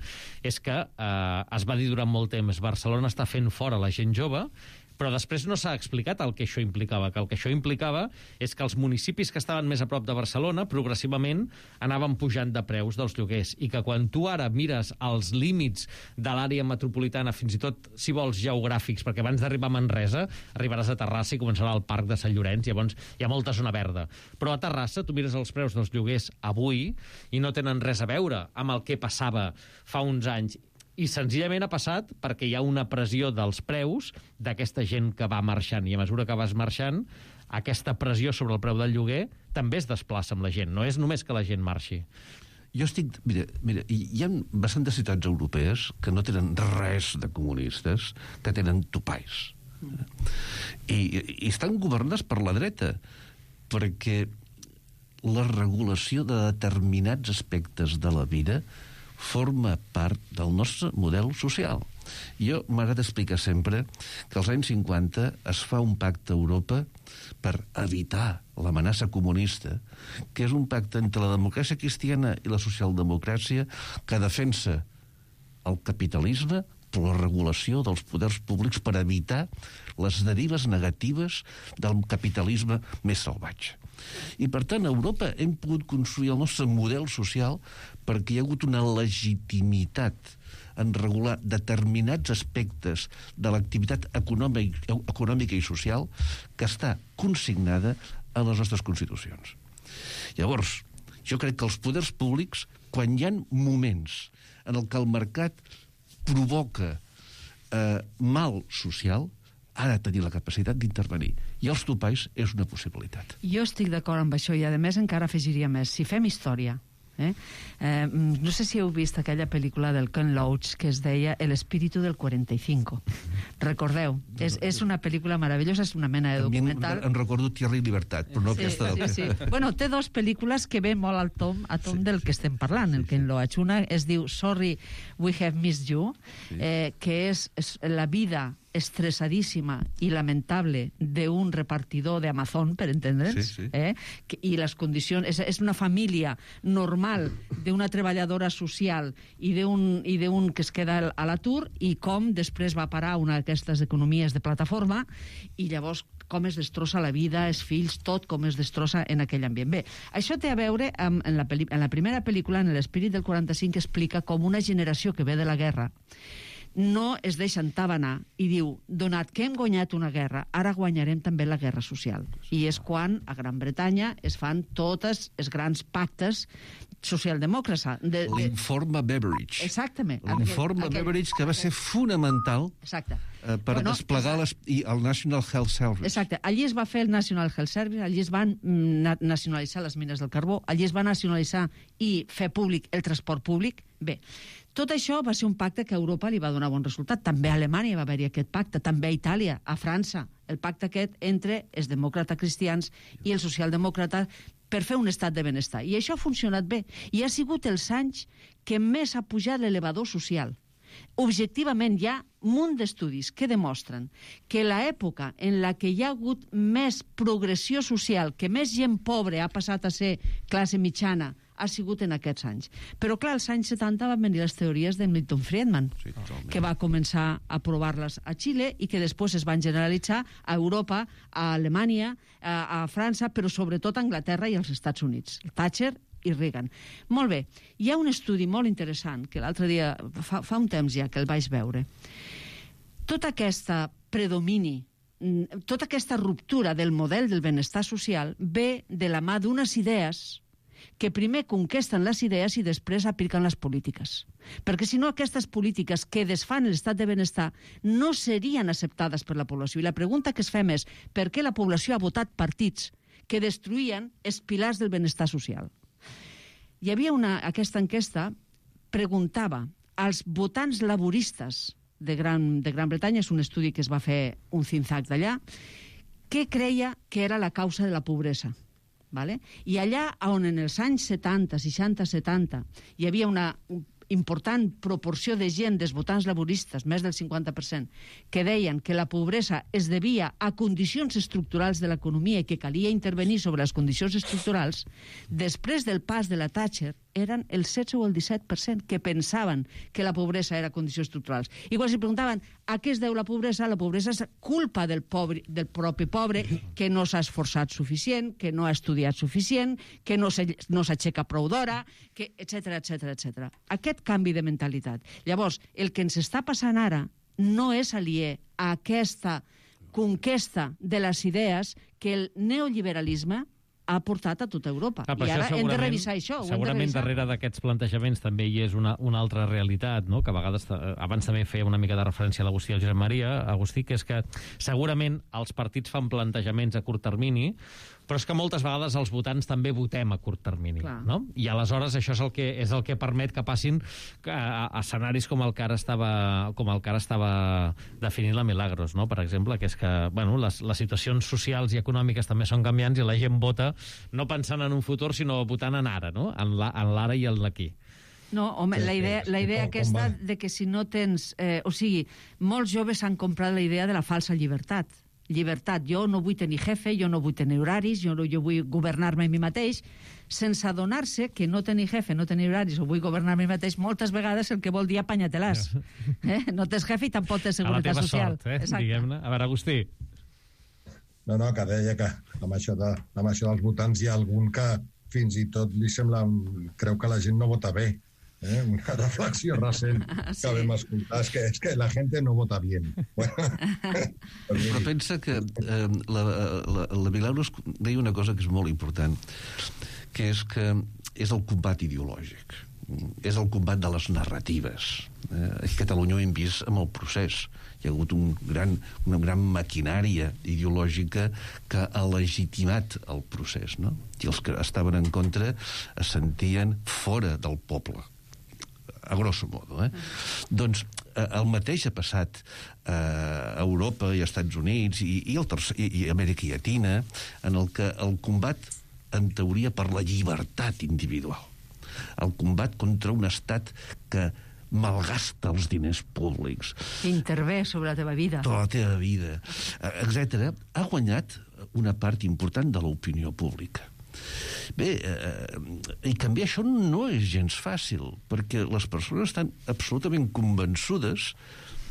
Speaker 2: és que es va dir durant molt temps Barcelona està fent fora la gent jove, però després no s'ha explicat el que això implicava, que el que això implicava és que els municipis que estaven més a prop de Barcelona progressivament anaven pujant de preus dels lloguers, i que quan tu ara mires els límits de l'àrea metropolitana, fins i tot, si vols, geogràfics, perquè abans d'arribar a Manresa arribaràs a Terrassa i començarà el parc de Sant Llorenç, llavors hi ha molta zona verda. Però a Terrassa tu mires els preus dels lloguers avui i no tenen res a veure amb el que passava fa uns anys. I senzillament ha passat perquè hi ha una pressió dels preus d'aquesta gent que va marxant, i a mesura que vas marxant, aquesta pressió sobre el preu del lloguer també es desplaça amb la gent, no és només que la gent marxi.
Speaker 4: Jo estic... Mira, hi ha bastantes ciutats europees que no tenen res de comunistes, que tenen topalls. I estan governades per la dreta, perquè la regulació de determinats aspectes de la vida forma part del nostre model social. Jo m'agrada explicar sempre que als anys 50 es fa un pacte a Europa per evitar l'amenaça comunista, que és un pacte entre la democràcia cristiana i la socialdemocràcia que defensa el capitalisme per la regulació dels poders públics per evitar les derives negatives del capitalisme més salvatge. I, per tant, a Europa hem pogut construir el nostre model social perquè hi ha hagut una legitimitat en regular determinats aspectes de l'activitat econòmica i social que està consignada a les nostres constitucions. Llavors, jo crec que els poders públics, quan hi ha moments en el que el mercat provoca mal social, ha de tenir la capacitat d'intervenir. I els topalls és una possibilitat.
Speaker 1: Jo estic d'acord amb això, i a més encara afegiria més. Si fem història, no sé si heu vist aquella pel·lícula del Ken Loach que es deia El espíritu del 45. Recordeu, és una pel·lícula meravellosa, és una mena de documental.
Speaker 4: Em recordo Tierra i Libertat, però no aquesta.
Speaker 1: Sí. Bueno, té dos pel·lícules que ve molt al tom del que estem parlant, el que en Loach. Una es diu Sorry, We Have Missed You, que és la vida estressadíssima i lamentable d'un repartidor d'Amazon, per entendre'ns, i les condicions... És una família normal d'una treballadora social i d'un que es queda a l'atur, i com després va parar una d'aquestes economies de plataforma, i llavors com es destrossa la vida, els fills, tot com es destrossa en aquell ambient. Bé, això té a veure en la primera pel·lícula, en l'Espírit del 45, que explica com una generació que ve de la guerra no es deixa entabanar i diu, donat que hem guanyat una guerra, ara guanyarem també la guerra social. I és quan a Gran Bretanya es fan tots els grans pactes socialdemòcrata.
Speaker 4: L'informe Beveridge.
Speaker 1: Exactament.
Speaker 4: L'informe Beveridge, que va ser fonamental per desplegar el National Health Service.
Speaker 1: Exacte. Allí es va fer el National Health Service, allí es van nacionalitzar les mines del carbó, allí es va nacionalitzar i fer públic el transport públic. Bé, tot això va ser un pacte que a Europa li va donar bon resultat. També a Alemanya va haver-hi aquest pacte, també a Itàlia, a França, el pacte aquest entre els demòcrates cristians i els socialdemòcrates per fer un estat de benestar. I això ha funcionat bé. I ha sigut els anys que més ha pujat l'elevador social. Objectivament hi ha un munt d'estudis que demostren que l'època en la que hi ha hagut més progressió social, que més gent pobra ha passat a ser classe mitjana, ha sigut en aquests anys. Però, clar, als anys 70 van venir les teories de Milton Friedman, que va començar a provar-les a Xile i que després es van generalitzar a Europa, a Alemanya, a França, però sobretot a Anglaterra i als Estats Units. Thatcher i Reagan. Molt bé, hi ha un estudi molt interessant que l'altre dia, fa un temps ja que el vaig veure. Tota aquesta predomini, tota aquesta ruptura del model del benestar social ve de la mà d'unes idees que primer conquesten les idees i després apliquen les polítiques. Perquè si no, aquestes polítiques que desfan l'estat de benestar no serien acceptades per la població. I la pregunta que es fem és per què la població ha votat partits que destruïen els pilars del benestar social. Hi havia aquesta enquesta preguntava als votants laboristes de Gran Bretanya, és un estudi que es va fer un think tank d'allà, què creia que era la causa de la pobresa. Vale? I allà on en els anys 70, 60, 70 hi havia una important proporció de gent, dels votants laboristes, més del 50%, que deien que la pobresa es devia a condicions estructurals de l'economia i que calia intervenir sobre les condicions estructurals, després del pas de la Thatcher eren el 16 o el 17% que pensaven que la pobresa era condicions estructurals. I quan s'hi preguntaven a què es deu la pobresa és culpa del propi pobre que no s'ha esforçat suficient, que no ha estudiat suficient, que no s'aixeca prou d'hora, etc. Aquest canvi de mentalitat. Llavors, el que ens està passant ara no és aliè a aquesta conquesta de les idees que el neoliberalisme ha portat a tota Europa. I ara hem de revisar això.
Speaker 2: Segurament darrere d'aquests plantejaments també hi és una altra realitat, no? Que a vegades, abans també feia una mica de referència a l'Agustí i al Josep Maria, Agustí, que és que segurament els partits fan plantejaments a curt termini, però és que moltes vegades els votants també votem a curt termini, no? I aleshores això és el que permet que passin escenaris com el que ara estava definint la Milagros, no? Per exemple, que és que les situacions socials i econòmiques també són canviants i la gent vota no pensant en un futur, sinó votant en ara, no? En l'ara i en l'aquí.
Speaker 1: No, home, la idea aquesta de que si no tens... molts joves han comprat la idea de la falsa llibertat. Llibertat, jo no vull tenir jefe, jo no vull tenir horaris, jo vull governar-me a mi mateix, sense adonar-se que no tenir jefe, no tenir horaris o vull governar-me a mi mateix, moltes vegades el que vol dir apanyatelàs. No tens jefe i tampoc tens seguretat social.
Speaker 2: A la teva sort, diguem-ne. A veure, Agustí.
Speaker 3: No, que deia que amb això dels votants hi ha algun que fins i tot li sembla... creu que la gent no vota bé. Una reflexió recent que vam escoltar és que la gent no vota bien.
Speaker 4: Però pensa que la Milagros deia una cosa que és molt important, que és el combat ideològic, és el combat de les narratives. A Catalunya ho hem vist amb el procés. Hi ha hagut una gran maquinària ideològica que ha legitimat el procés, no? I els que estaven en contra es sentien fora del poble, a grosso modo. Doncs el mateix ha passat Europa i Estats Units i Amèrica Llatina, en el que el combat, en teoria, per la llibertat individual, el combat contra un estat que malgasta els diners públics,
Speaker 1: intervé sobre la teva vida,
Speaker 4: etc., ha guanyat una part important de l'opinió pública. Bé, i canviar això no és gens fàcil, perquè les persones estan absolutament convençudes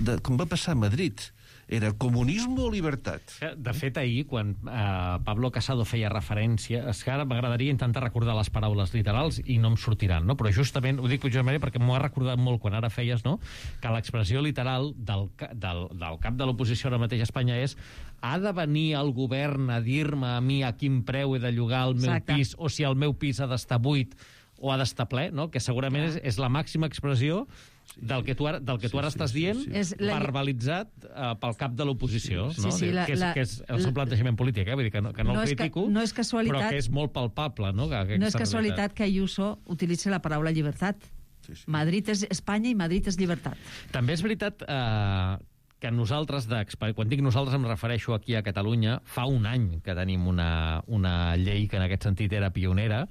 Speaker 4: de, com va passar a Madrid, era comunisme o libertat.
Speaker 2: De fet, ahir, quan Pablo Casado feia referència, és que ara m'agradaria intentar recordar les paraules literals i no em sortiran, no? Però justament, ho dic justament perquè m'ho ha recordat molt quan ara feies, no?, que l'expressió literal del cap de l'oposició ara mateix a Espanya és: ha de venir el govern a dir-me a mi a quin preu he de llogar el meu pis, o si el meu pis ha d'estar buit o ha d'estar ple, no?, que segurament és la màxima expressió del que tu ara estàs dient, verbalitzat pel cap de l'oposició, no? Que és el seu plantejament polític, vull dir que no el critico, però que és molt palpable, no?
Speaker 1: No és casualitat que Ayuso utilitzi la paraula llibertat. Madrid és Espanya i Madrid és llibertat.
Speaker 2: També és veritat que nosaltres, quan dic nosaltres em refereixo aquí a Catalunya, fa un any que tenim una llei que en aquest sentit era pionera.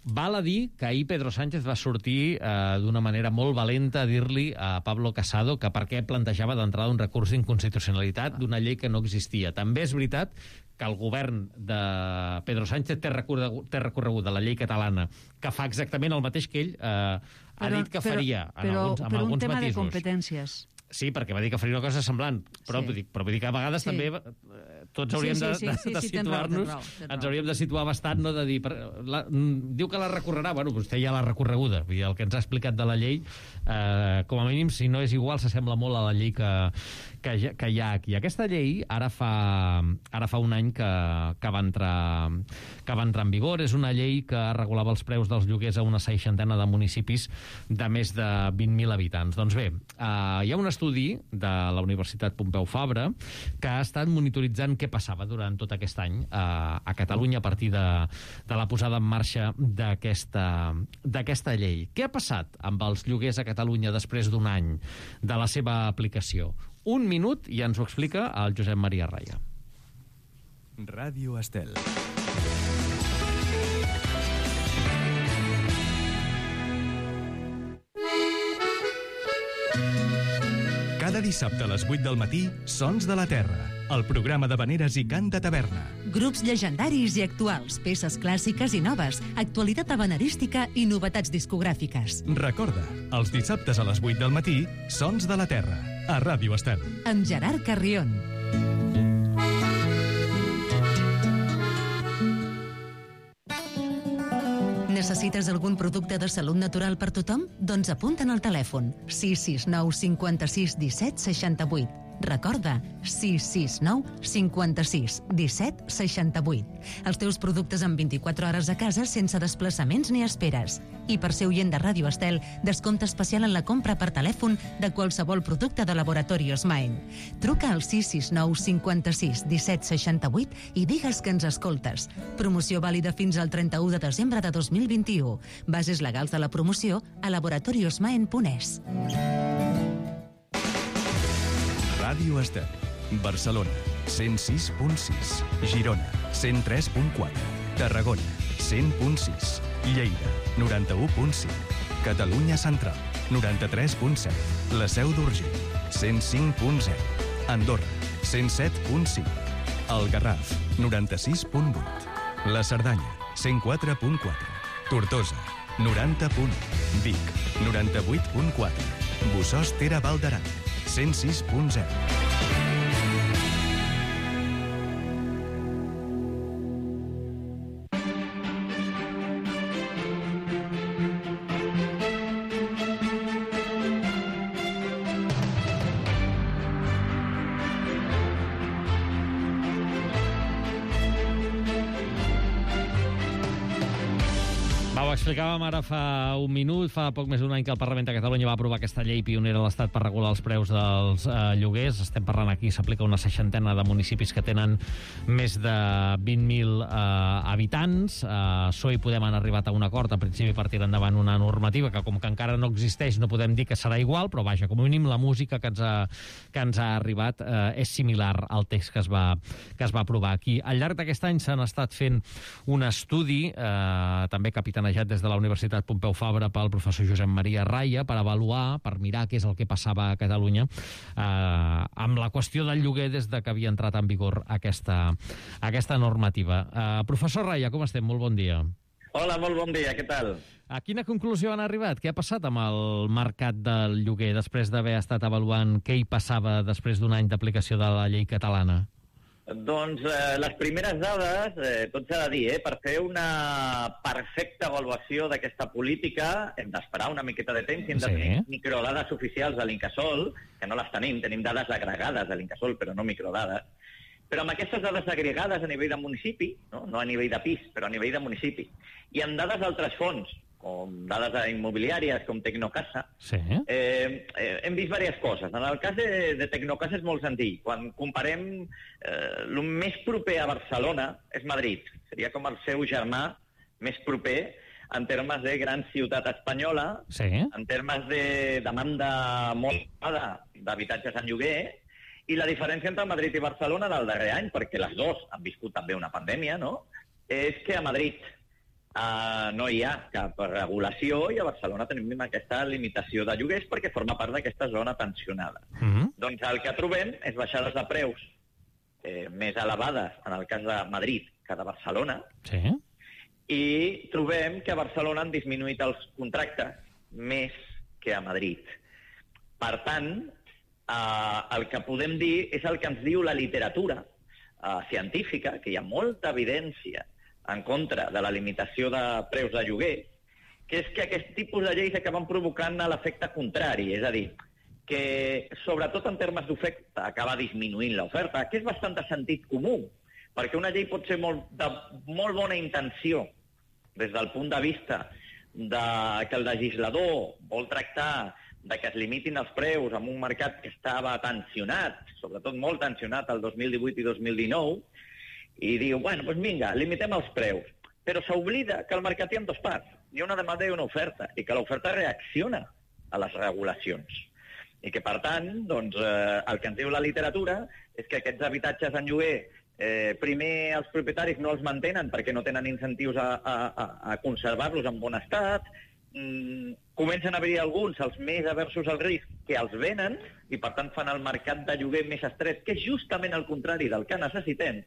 Speaker 2: Val a dir que ahir Pedro Sánchez va sortir d'una manera molt valenta a dir-li a Pablo Casado que per què plantejava d'entrada un recurs d'inconstitucionalitat d'una llei que no existia. També és veritat que el govern de Pedro Sánchez té recorregut de la llei catalana, que fa exactament el mateix que ell ha dit que faria, amb alguns matisos.
Speaker 1: Però un tema de competències.
Speaker 2: Sí, perquè va dir que faria una cosa semblant, però vull dir que a vegades també tots hauríem de situar-nos, ens hauríem de situar bastant, no de dir... Diu que la recorrerà, bueno, vostè ja l'ha recorreguda, vull dir, el que ens ha explicat de la llei, com a mínim, si no és igual, s'assembla molt a la llei que hi ha aquí. Aquesta llei ara fa un any que va entrar en vigor. És una llei que regulava els preus dels lloguers a una 60ena de municipis de més de 20.000 habitants. Doncs bé, hi ha un estudi de la Universitat Pompeu Fabra que ha estat monitoritzant què passava durant tot aquest any a Catalunya a partir de la posada en marxa d'aquesta llei. Què ha passat amb els lloguers a Catalunya després d'un any de la seva aplicació? Un minut i ens ho explica el Josep Maria Raya.
Speaker 5: Ràdio Estel. Cada dissabte a les 8 del matí, Sons de la Terra, el programa d'havaneres i cant de taverna.
Speaker 6: Grups llegendaris i actuals, peces clàssiques i noves, actualitat havanerística i novetats discogràfiques.
Speaker 5: Recorda, els dissabtes a les 8 del matí, Sons de la Terra, a Ràdio Estel.
Speaker 6: Amb Gerard Carrion. Necessites algun producte de salut natural per tothom? Doncs apunta'n al telèfon 669 56 17 68. Recorda, 669 56 17 68. Els teus productes en 24 hores a casa sense desplaçaments ni esperes. I per ser oient de Ràdio Estel, descompte especial en la compra per telèfon de qualsevol producte de Laboratorios Maen. Truca al 669 56 17 68 i digues que ens escoltes. Promoció vàlida fins al 31 de desembre de 2021. Bases legals de la promoció a laboratoriosmaen.es.
Speaker 5: Ràdio Estel, Barcelona, 106.6, Girona, 103.4, Tarragona, 100.6, Lleida, 91.5, Catalunya Central, 93.7, la Seu d'Urgell, 105.0, Andorra, 107.5, el Garraf, 96.8, la Cerdanya, 104.4, Tortosa, 90.1, Vic, 98.4, Bossòst Tere Val d'Aran, 106.0.
Speaker 2: explicàvem ara fa un minut, fa poc més d'un any que el Parlament de Catalunya va aprovar aquesta llei pionera a l'Estat per regular els preus dels lloguers. Estem parlant aquí, s'aplica una 60ena de municipis que tenen més de 20.000 habitants. PSOE i Podem han arribat a un acord, en principi per tirar endavant una normativa que, com que encara no existeix, no podem dir que serà igual, però vaja, com a mínim la música que ens ha arribat és similar al text que es va aprovar aquí. Al llarg d'aquest any s'han estat fent un estudi, també capitanejat des de la Universitat Pompeu Fabra pel professor Josep Maria Raya, per avaluar, per mirar què és el que passava a Catalunya amb la qüestió del lloguer des de que havia entrat en vigor aquesta normativa. Professor Raya, com estem? Molt bon dia.
Speaker 7: Hola, molt bon dia, què tal?
Speaker 2: A quina conclusió han arribat? Què ha passat amb el mercat del lloguer després d'haver estat avaluant què hi passava després d'un any d'aplicació de la llei catalana?
Speaker 7: Doncs les primeres dades, tot s'ha de dir, per fer una perfecta avaluació d'aquesta política hem d'esperar una miqueta de temps i hem de tenir microdades oficials de l'Incasòl, que no les tenim dades agregades de l'Incasòl, però no microdades. Però amb aquestes dades agregades a nivell de municipi, no a nivell de pis, però a nivell de municipi, i amb dades d'altres fons, com dades immobiliàries, com Tecnocasa, hem vist diverses coses. En el cas de Tecnocasa és molt senzill. Quan comparem, el més proper a Barcelona és Madrid. Seria com el seu germà més proper en termes de gran ciutat espanyola, en termes de demanda molt elevada d'habitatges en lloguer, i la diferència entre Madrid i Barcelona del darrer any, perquè les dues han viscut també una pandèmia, no?, és que a Madrid no hi ha cap regulació i a Barcelona tenim aquesta limitació de lloguers perquè forma part d'aquesta zona tensionada. Doncs el que trobem és baixades de preus més elevades en el cas de Madrid que de Barcelona, i trobem que a Barcelona han disminuït els contractes més que a Madrid. Per tant, el que podem dir és el que ens diu la literatura científica, que hi ha molta evidència en contra de la limitació de preus de lloguer, que és que aquest tipus de lleis acaben provocant l'efecte contrari, és a dir, que sobretot en termes d'oferta acaba disminuint l'oferta, que és bastant de sentit comú, perquè una llei pot ser de molt bona intenció des del punt de vista que el legislador vol tractar de que es limitin els preus en un mercat que estava tensionat, sobretot molt tensionat el 2018 i 2019, i diu, bueno, doncs vinga, limitem els preus. Però s'oblida que al mercat hi ha dues parts. Hi ha una demanda i una oferta, i que l'oferta reacciona a les regulacions. I que, per tant, doncs, el que ens diu la literatura és que aquests habitatges en lloguer, primer els propietaris no els mantenen perquè no tenen incentius a conservar-los en bon estat, comencen a haver-hi alguns, els més aversos al risc, que els venen i, per tant, fan el mercat de lloguer més estret, que és justament el contrari del que necessitem.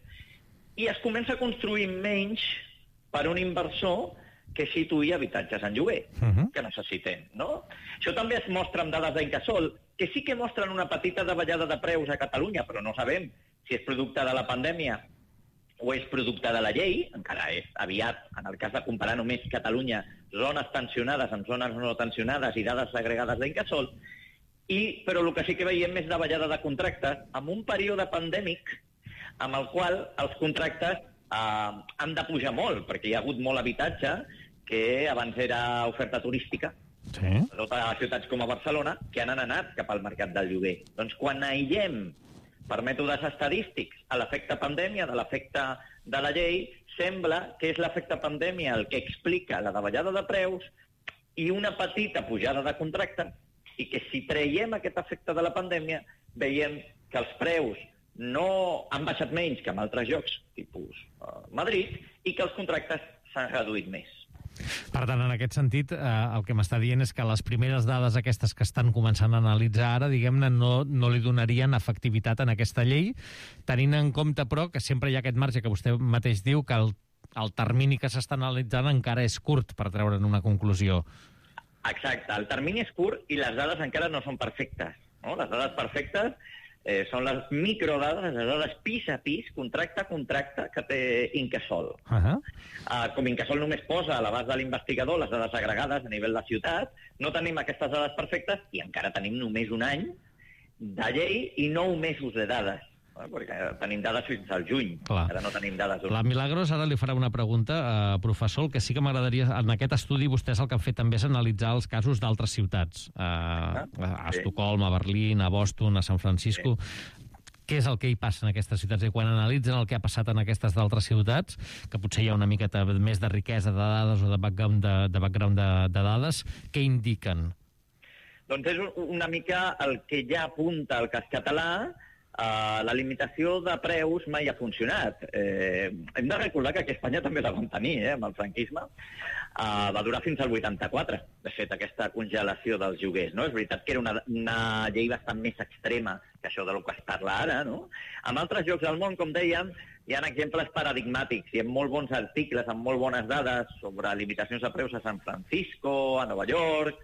Speaker 7: I es comença a construir menys per un inversor que situï habitatges en lloguer, que necessitem, no? Això també es mostra amb dades d'Incasòl, que sí que mostren una petita davallada de preus a Catalunya, però no sabem si és producte de la pandèmia o és producte de la llei, encara és aviat, en el cas de comparar només Catalunya, zones tensionades amb zones no tensionades i dades agregades d'Incasòl, però el que sí que veiem és davallada de contractes en un període pandèmic amb el qual els contractes han de pujar molt, perquè hi ha hagut molt habitatge que abans era oferta turística, sobretot a ciutats com a Barcelona, que han anat cap al mercat del lloguer. Doncs quan aïllem per mètodes estadístics a l'efecte pandèmia de l'efecte de la llei, sembla que és l'efecte pandèmia el que explica la davallada de preus i una petita pujada de contractes, i que si traiem aquest efecte de la pandèmia, veiem que els preus no han baixat menys que en altres llocs, tipus Madrid, i que els contractes s'han reduït més.
Speaker 2: Per tant, en aquest sentit, el que m'està dient és que les primeres dades aquestes que estan començant a analitzar ara, diguem-ne, no li donarien efectivitat en aquesta llei, tenint en compte, però, que sempre hi ha aquest marge que vostè mateix diu que el termini que s'està analitzant encara és curt per treure'n una conclusió.
Speaker 7: Exacte, el termini és curt i les dades encara no són perfectes, no? Les dades perfectes són les microdades, les dades pis a pis, contracte a contracte, que té Incasòl. Com Incasòl només posa a l'abast de l'investigador les dades agregades a nivell de ciutat, no tenim aquestes dades perfectes i encara tenim només un any de llei i 9 mesos de dades. perquè tenim dades fins al juny.
Speaker 2: Clar.
Speaker 7: Ara no tenim dades.
Speaker 2: La Milagros ara li farà una pregunta, professor. El que sí que m'agradaria, en aquest estudi vostès el que han fet també és analitzar els casos d'altres ciutats, a Estocolm, a Berlín, a Boston, a San Francisco. Què és el que hi passa en aquestes ciutats? I quan analitzen el que ha passat en aquestes d'altres ciutats, que potser hi ha una miqueta més de riquesa de dades o de background de dades, què indiquen?
Speaker 7: Doncs és una mica el que ja apunta el cas català. La limitació de preus mai ha funcionat. Hem de recordar que aquí a Espanya també la vam tenir, amb el franquisme. Va durar fins al 84, de fet, aquesta congelació dels lloguers. No? És veritat que era una llei bastant més extrema que això del que es parla ara. No? En altres llocs del món, com dèiem, hi ha exemples paradigmàtics. Hi ha molt bons articles amb molt bones dades sobre limitacions de preus a San Francisco, a Nova York,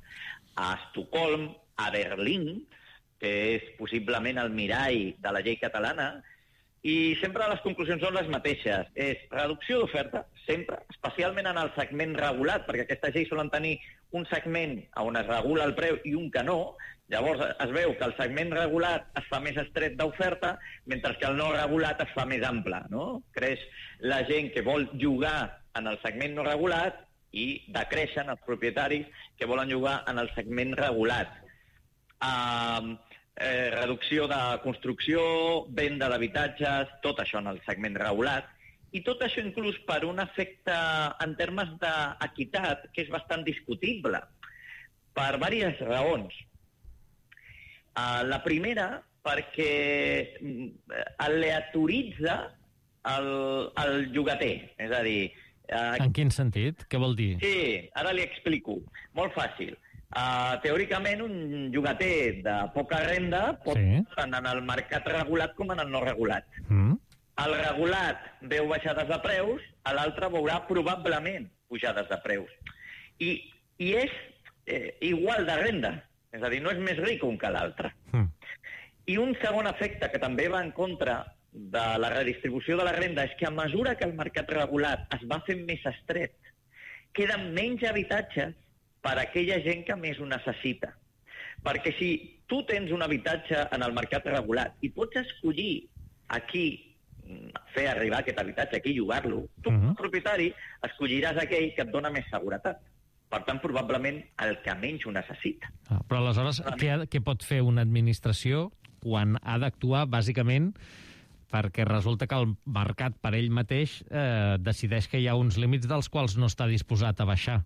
Speaker 7: a Estocolm, a Berlín, que és possiblement el mirall de la llei catalana, i sempre les conclusions són les mateixes. És reducció d'oferta, sempre, especialment en el segment regulat, perquè aquestes lleis solen tenir un segment on es regula el preu i un que no. Llavors es veu que el segment regulat es fa més estret d'oferta, mentre que el no regulat es fa més ample. No? Creix la gent que vol llogar en el segment no regulat i decreixen els propietaris que volen llogar en el segment regulat. Reducció de construcció, venda d'habitatges, tot això en el segment regulat, i tot això inclús per un efecte en termes d'equitat que és bastant discutible, per diverses raons. La primera, perquè aleatoritza el llogater, és a dir...
Speaker 2: En quin sentit? Què vol dir?
Speaker 7: Sí, ara li explico. Molt fàcil. Teòricament, un llogater de poca renda pot tant en el mercat regulat com en el no regulat. El regulat veu baixades de preus, l'altre veurà probablement pujades de preus. I és igual de renda, és a dir, no és més ric un que l'altre. I un segon efecte que també va en contra de la redistribució de la renda és que a mesura que el mercat regulat es va fent més estret, queden menys habitatges per a aquella gent que més ho necessita. Perquè si tu tens un habitatge en el mercat regulat i pots escollir aquí fer arribar aquest habitatge, aquí llogar-lo, tu, com a propietari, escolliràs aquell que et dona més seguretat. Per tant, probablement el que menys ho necessita.
Speaker 2: Però aleshores, què pot fer una administració quan ha d'actuar, bàsicament, perquè resulta que el mercat per ell mateix decideix que hi ha uns límits dels quals no està disposat a baixar?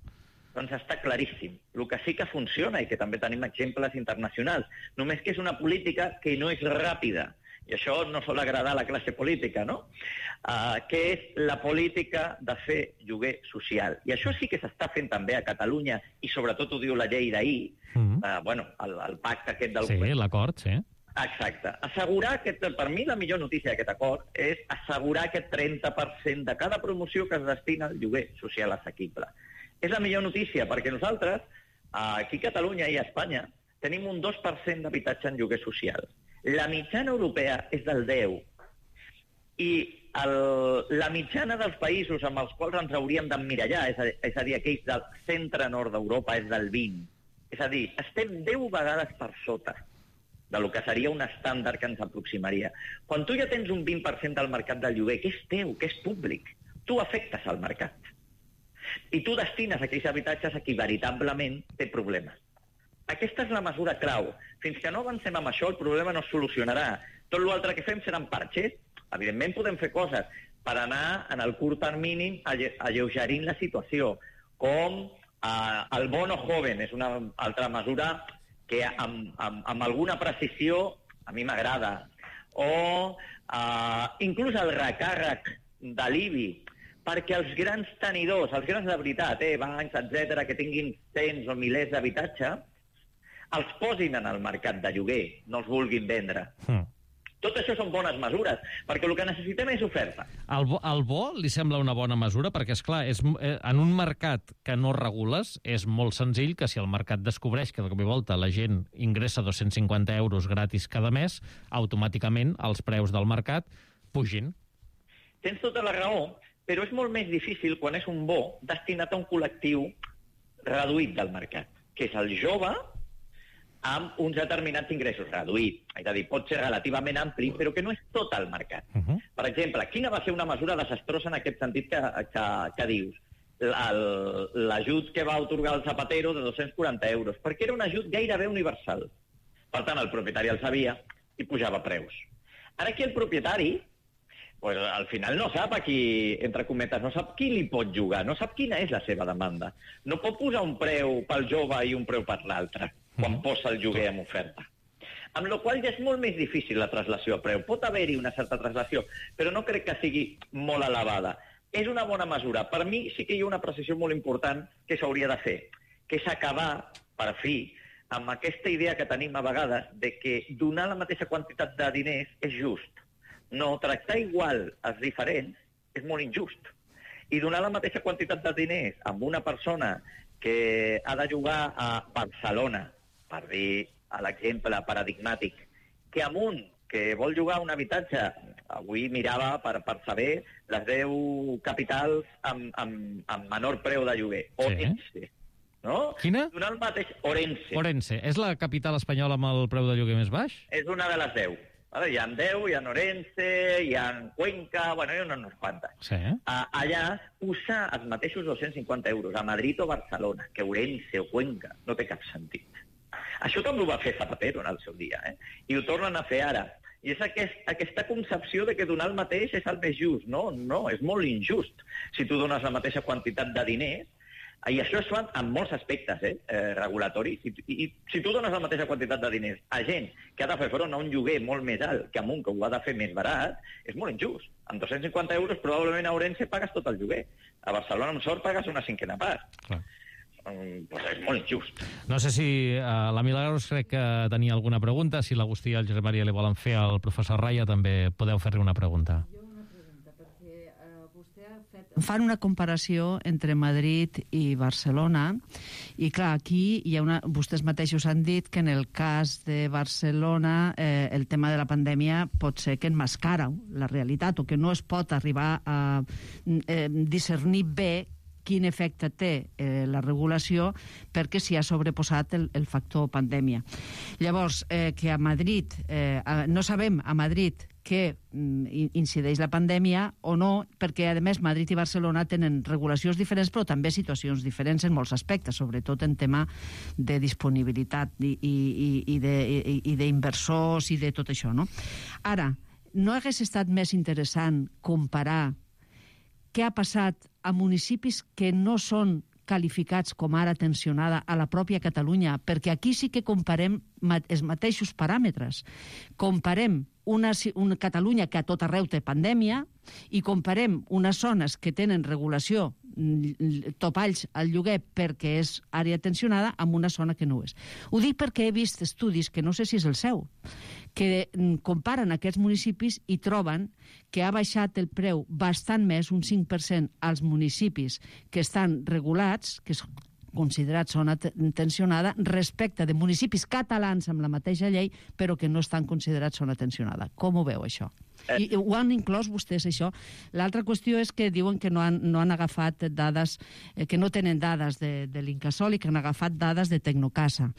Speaker 7: Doncs està claríssim. El que sí que funciona, i que també tenim exemples internacionals, només que és una política que no és ràpida, i això no sol agradar a la classe política, no? Que és la política de fer lloguer social. I això sí que s'està fent també a Catalunya, i sobretot ho diu la llei d'ahir, el pacte aquest del govern.
Speaker 2: Sí, l'acord, sí.
Speaker 7: Exacte. Assegurar per mi la millor notícia d'aquest acord és assegurar aquest 30% de cada promoció que es destina al lloguer social assequible. És la millor notícia, perquè nosaltres, aquí a Catalunya i a Espanya, tenim un 2% d'habitatge en lloguer social. La mitjana europea és del 10%. I la mitjana dels països amb els quals ens hauríem d'emmirallar, és a dir, aquells del centre-nord d'Europa, és del 20%. És a dir, estem 10 vegades per sota de lo que seria un estàndard que ens aproximaria. Quan tu ja tens un 20% del mercat del lloguer, que és teu, que és públic, tu afectes al mercat. I tu destines aquells habitatges a qui veritablement té problemes. Aquesta és la mesura clau. Fins que no avancem amb això, el problema no es solucionarà. Tot l'altre que fem seran parxes. Evidentment podem fer coses per anar en el curt termini alleugerint la situació, com el bono joven, és una altra mesura que amb alguna precisió a mi m'agrada. O inclús el recàrrec de l'IBI, perquè els grans tenidors, els grans de veritat, bancs, etc., que tinguin cents o milers d'habitatge, els posin en el mercat de lloguer, no els vulguin vendre. Tot això són bones mesures, perquè el que necessitem és oferta.
Speaker 2: El bo li sembla una bona mesura, perquè, esclar, en un mercat que no regules, és molt senzill que si el mercat descobreix que de cop i volta la gent ingressa 250 euros gratis cada mes, automàticament els preus del mercat pugin.
Speaker 7: Tens tota la raó, però és molt més difícil quan és un bo destinat a un col·lectiu reduït del mercat, que és el jove, amb uns determinats ingressos reduïts. És a dir, pot ser relativament ampli, però que no és tot el mercat. Per exemple, quina va ser una mesura desastrosa en aquest sentit que dius? L'ajut que va otorgar el Zapatero de 240 euros, perquè era un ajut gairebé universal. Per tant, el propietari el sabia i pujava preus. Ara aquí el propietari, pues, al final no sap a qui, entre cometes, no sap qui li pot jugar, no sap quina és la seva demanda. No pot posar un preu pel jove i un preu per l'altre, quan posa el lloguer en oferta. Amb la qual ja és molt més difícil la traslació a preu. Pot haver-hi una certa traslació, però no crec que sigui molt elevada. És una bona mesura. Per mi sí que hi ha una precisió molt important que s'hauria de fer, que és acabar, per fi, amb aquesta idea que tenim a vegades de que donar la mateixa quantitat de diners és just. No, tractar igual els diferents és molt injust. I donar la mateixa quantitat de diners amb una persona que ha de jugar a Barcelona, per dir l'exemple paradigmàtic, que amb un que vol jugar a un habitatge, avui mirava per saber les 10 capitals amb menor preu de lloguer, Orense, no?
Speaker 2: Quina?
Speaker 7: Donar el mateix, Orense.
Speaker 2: Orense. És la capital espanyola amb el preu de lloguer més baix?
Speaker 7: És una de les 10. Hi ha 10, hi ha Orense, hi ha Cuenca, bueno, hi ha unes quantes.
Speaker 2: Sí.
Speaker 7: Allà posar els mateixos 250 euros a Madrid o Barcelona que Orense o Cuenca no té cap sentit. Això també ho va fer Zapatero en el seu dia, i ho tornen a fer ara. I és aquesta concepció de que donar el mateix és el més just. No, és molt injust si tu dones la mateixa quantitat de diners. I això es fa en molts aspectes regulatoris. I si tu dones la mateixa quantitat de diners a gent que ha de fer front a un lloguer molt més alt que a un que ho ha de fer més barat, és molt injust. Amb 250 euros probablement a Orense pagues tot el lloguer. A Barcelona, amb sort, pagues una cinquena part.
Speaker 2: Clar.
Speaker 7: Pues és molt injust.
Speaker 2: No sé si la Milagros crec que tenia alguna pregunta. Si l'Agustí i el Josep Maria li volen fer al professor Raya, també podeu fer-li una pregunta.
Speaker 1: Fan una comparació entre Madrid i Barcelona i, clar, aquí hi ha vostès mateixos han dit que en el cas de Barcelona el tema de la pandèmia pot ser que enmascara la realitat o que no es pot arribar a discernir bé quin efecte té la regulació perquè s'hi ha sobreposat el factor pandèmia. Llavors, que a Madrid, no sabem a Madrid que incideix la pandèmia o no, perquè, a més, Madrid i Barcelona tenen regulacions diferents, però també situacions diferents en molts aspectes, sobretot en tema de disponibilitat i d'inversors i de tot això, no? Ara, no hagués estat més interessant comparar què ha passat a municipis que no són qualificats com ara tensionada a la pròpia Catalunya, perquè aquí sí que comparem els mateixos paràmetres. Comparem una Catalunya que a tot arreu té pandèmia i comparem unes zones que tenen regulació, topalls al lloguer perquè és àrea tensionada, amb una zona que no ho és. Ho dic perquè he vist estudis, que no sé si és el seu, que comparen aquests municipis i troben que ha baixat el preu bastant més, un 5%, als municipis que estan regulats, que és considerat zona tensionada, respecte de municipis catalans amb la mateixa llei, però que no estan considerats zona tensionada. Com ho veu, això? I ho han inclòs vostès, això? L'altra qüestió és que diuen que no han agafat dades, que no tenen dades de l'Incasòl i que han agafat dades de Tecnocasa.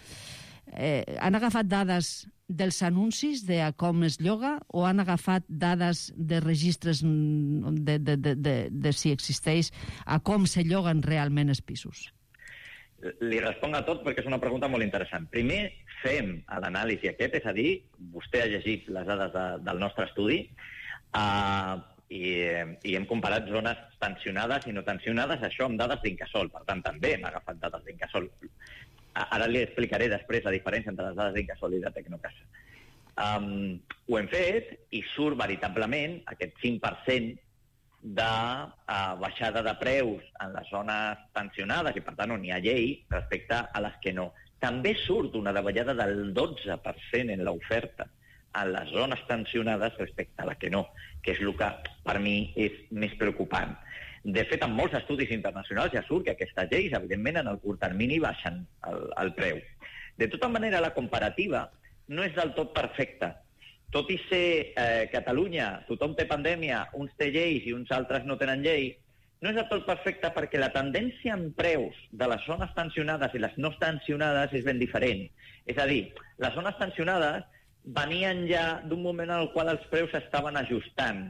Speaker 1: Han agafat dades dels anuncis de com es lloga o han agafat dades de registres de si existeix a com se lloguen realment els pisos?
Speaker 7: Li responc a tot perquè és una pregunta molt interessant. Primer, fem l'anàlisi aquest, és a dir, vostè ha llegit les dades del nostre estudi i hem comparat zones tensionades i no tensionades, això amb dades d'Incasòl. Per tant, també hem agafat dades d'Incasòl. Ara li explicaré després la diferència entre les dades d'Incasòl i de Tecnocasa. Ho hem fet i surt veritablement aquest 5% de baixada de preus en les zones tensionades i, per tant, on hi ha llei respecte a les que no. També surt una davallada del 12% en l'oferta en les zones tensionades respecte a la que no, que és el que per mi és més preocupant. De fet, en molts estudis internacionals ja surt que aquestes lleis, evidentment, en el curt termini baixen el preu. De tota manera, la comparativa no és del tot perfecta. Tot i ser Catalunya, tothom té pandèmia, uns té lleis i uns altres no tenen llei, no és del tot perfecte perquè la tendència en preus de les zones tensionades i les no tensionades és ben diferent. És a dir, les zones tensionades venien ja d'un moment en el qual els preus s'estaven ajustant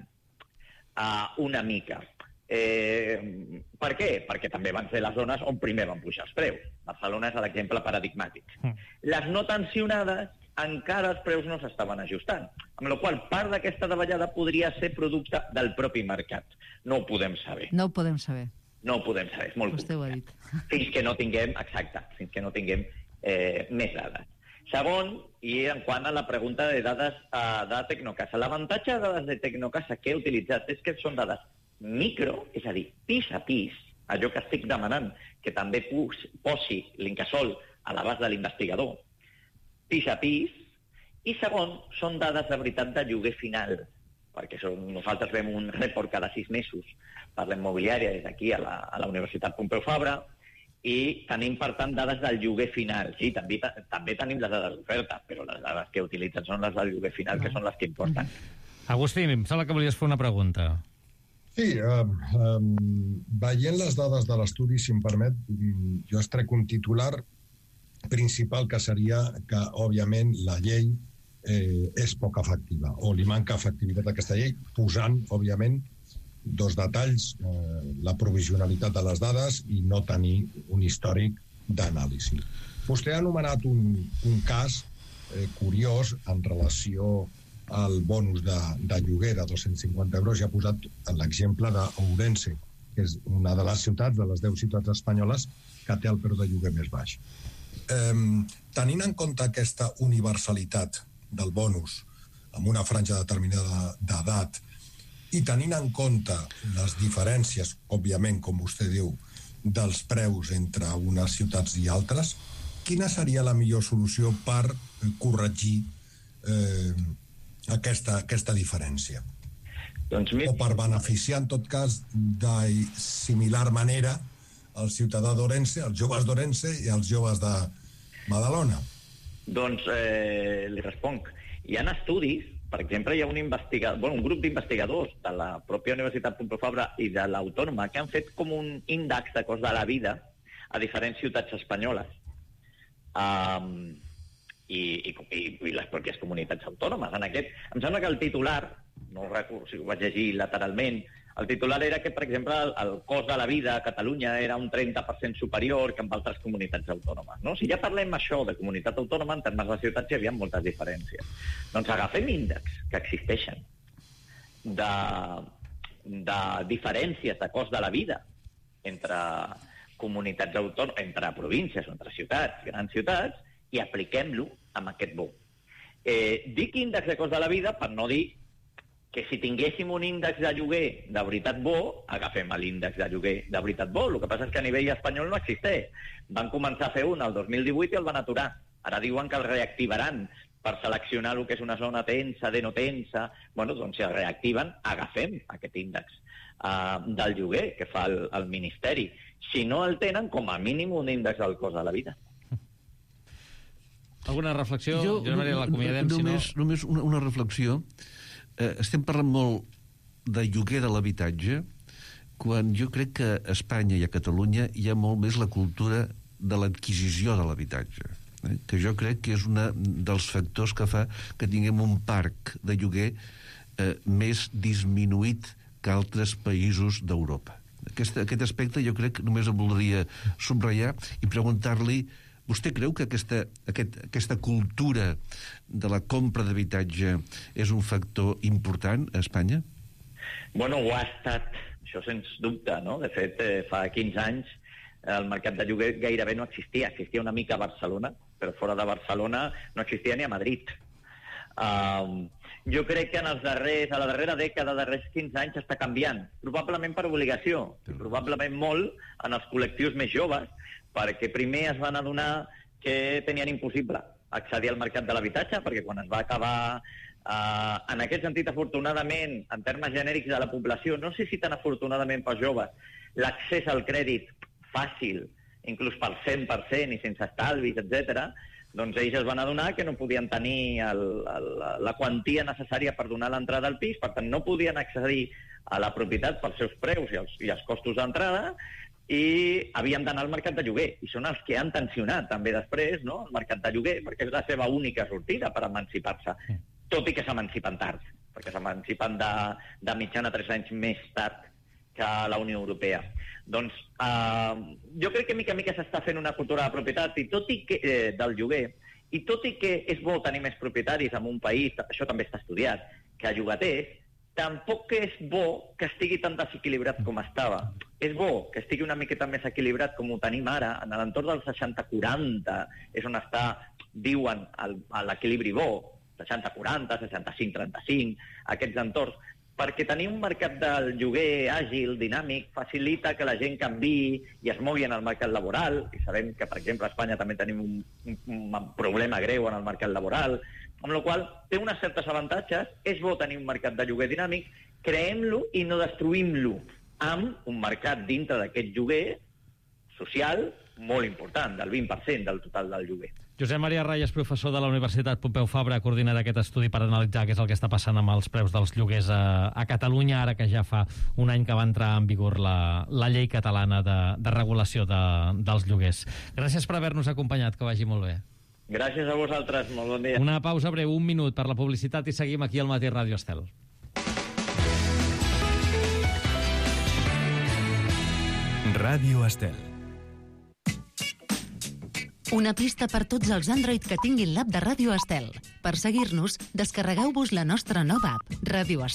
Speaker 7: una mica. Per què? Perquè també van ser les zones on primer van pujar els preus. Barcelona és l'exemple paradigmàtic. Les no tensionades encara els preus no s'estaven ajustant, amb la qual part d'aquesta davallada podria ser producte del propi mercat. No ho podem saber.
Speaker 1: No ho podem saber.
Speaker 7: No ho podem saber, és molt
Speaker 1: Vostè ho ha dit.
Speaker 7: Fins que no tinguem, exacte, fins que no tinguem més dades. Segon, i en quant a la pregunta de dades de Tecnocasa. L'avantatge de dades de Tecnocasa que he utilitzat és que són dades micro, és a dir, pis a pis, allò que estic demanant, que també posi l'Incasòl a l'abast de l'investigador, pis a pis, i segon, són dades de veritat de lloguer final, perquè nosaltres fem un report cada 6 mesos per la immobiliària des d'aquí a la Universitat Pompeu Fabra, i tenim, per tant, dades del lloguer final. Sí, també tenim les dades d'oferta, però les dades que utilitzen són les del lloguer final, que són les que importen.
Speaker 2: Agustí, em sembla que volies fer una pregunta.
Speaker 3: Sí, veient les dades de l'estudi, si em permet, jo extrec un titular principal que seria que, òbviament, la llei és poc efectiva, o li manca efectivitat a aquesta llei, posant, òbviament, dos detalls, la provisionalitat de les dades i no tenir un històric d'anàlisi. Vostè ha anomenat un cas curiós en relació al bonus de lloguer de 250 euros i ha posat l'exemple d'Ourense, que és una de les ciutats, de les 10 ciutats espanyoles, que té el preu de lloguer més baix. Tenint en compte aquesta universalitat del bonus amb una franja determinada d'edat i tenint en compte les diferències, òbviament, com vostè diu, dels preus entre unes ciutats i altres, quina seria la millor solució per corregir aquesta diferència? O per beneficiar, en tot cas, de similar manera el ciutadà d'Ourense, els joves d'Ourense i els joves de Badalona?
Speaker 7: Doncs li responc. Hi ha estudis, per exemple, hi ha un grup d'investigadors de la pròpia Universitat Pompeu Fabra i de l'Autònoma que han fet com un índex de cost de la vida a diferents ciutats espanyoles i les pròpies comunitats autònomes. En aquest, em sembla que el titular, no ho recordo si ho vaig llegir lateralment, el titular era que, per exemple, el cost de la vida a Catalunya era un 30% superior que en altres comunitats autònomes. No? Si ja parlem això de comunitat autònoma, en termes de ciutats hi havia moltes diferències. Doncs agafem índexs que existeixen de diferències de cost de la vida entre comunitats autònomes, entre províncies o entre ciutats, grans ciutats, i apliquem-lo amb aquest bo. Dic índex de cost de la vida per no dir que si tinguéssim un índex de lloguer de veritat bo, agafem l'índex de lloguer de veritat bo. El que passa és que a nivell espanyol no existeix. Van començar a fer un el 2018 i el van aturar. Ara diuen que el reactivaran per seleccionar el que és una zona tensa, de no tensa. Bueno, doncs si el reactiven, agafem aquest índex del lloguer que fa el Ministeri. Si no el tenen, com a mínim un índex del cost de la vida.
Speaker 2: Alguna reflexió? Jo l'acomiadem, si no...
Speaker 4: Només una reflexió. Estem parlant molt de lloguer de l'habitatge quan jo crec que a Espanya i a Catalunya hi ha molt més la cultura de l'adquisició de l'habitatge, que jo crec que és un dels factors que fa que tinguem un parc de lloguer més disminuït que altres països d'Europa. Aquest aspecte jo crec que només em voldria subratllar i preguntar-li: vostè creu que aquesta cultura de la compra d'habitatge és un factor important a Espanya?
Speaker 7: Bueno, ho ha estat, això sens dubte, no? De fet, fa 15 anys el mercat de lloguer gairebé no existia. Existia una mica a Barcelona, però fora de Barcelona no existia ni a Madrid. Jo crec que a la darrera dècada, darrers 15 anys, està canviant. Probablement per obligació, probablement molt en els col·lectius més joves, perquè primer es van adonar que tenien impossible accedir al mercat de l'habitatge, perquè quan es va acabar, en aquest sentit, afortunadament, en termes genèrics de la població, no sé si tan afortunadament pels joves, l'accés al crèdit fàcil, inclús pel 100% i sense estalvis, etc., doncs ells es van adonar que no podien tenir la quantia necessària per donar l'entrada al pis, per tant no podien accedir a la propietat pels seus preus i els costos d'entrada, i havien d'anar al mercat de lloguer, i són els que han tensionat també després, no?, el mercat de lloguer, perquè és la seva única sortida per emancipar-se, tot i que s'emancipen tard, perquè s'emancipen de mitjana 3 anys més tard que la Unió Europea. Doncs jo crec que mica en mica s'està fent una cultura de propietat i tot i que del lloguer, i tot i que és bo tenir més propietaris en un país, això també està estudiat, que llogaters, tampoc és bo que estigui tan desequilibrat com estava. És bo que estigui una miqueta més equilibrat com ho tenim ara, en l'entorn del 60-40, és on està, diuen, l'equilibri bo, 60-40, 65-35, aquests entorns, perquè tenir un mercat del lloguer àgil, dinàmic, facilita que la gent canviï i es mogui en el mercat laboral, i sabem que, per exemple, a Espanya també tenim un problema greu en el mercat laboral, amb la qual cosa té unes certes avantatges, és bo tenir un mercat de lloguer dinàmic, creem-lo i no destruïm-lo, amb un mercat dintre d'aquest lloguer social molt important, del 20% del total del lloguer.
Speaker 2: Josep Maria Rayas, professor de la Universitat Pompeu Fabra, ha coordinat aquest estudi per analitzar què és el que està passant amb els preus dels lloguers a Catalunya, ara que ja fa un any que va entrar en vigor la llei catalana de regulació dels lloguers. Gràcies per haver-nos acompanyat, que vagi molt bé.
Speaker 7: Gràcies a vosaltres, molt bon dia.
Speaker 2: Una pausa breu, 1 minut per la publicitat i seguim aquí al Matí Ràdio Estel.
Speaker 5: Ràdio Estel.
Speaker 6: Una pista per tots els Android que tinguin l'app de Ràdio Estel. Per seguir-nos, descarregueu-vos la nostra nova app, Ràdio Estel.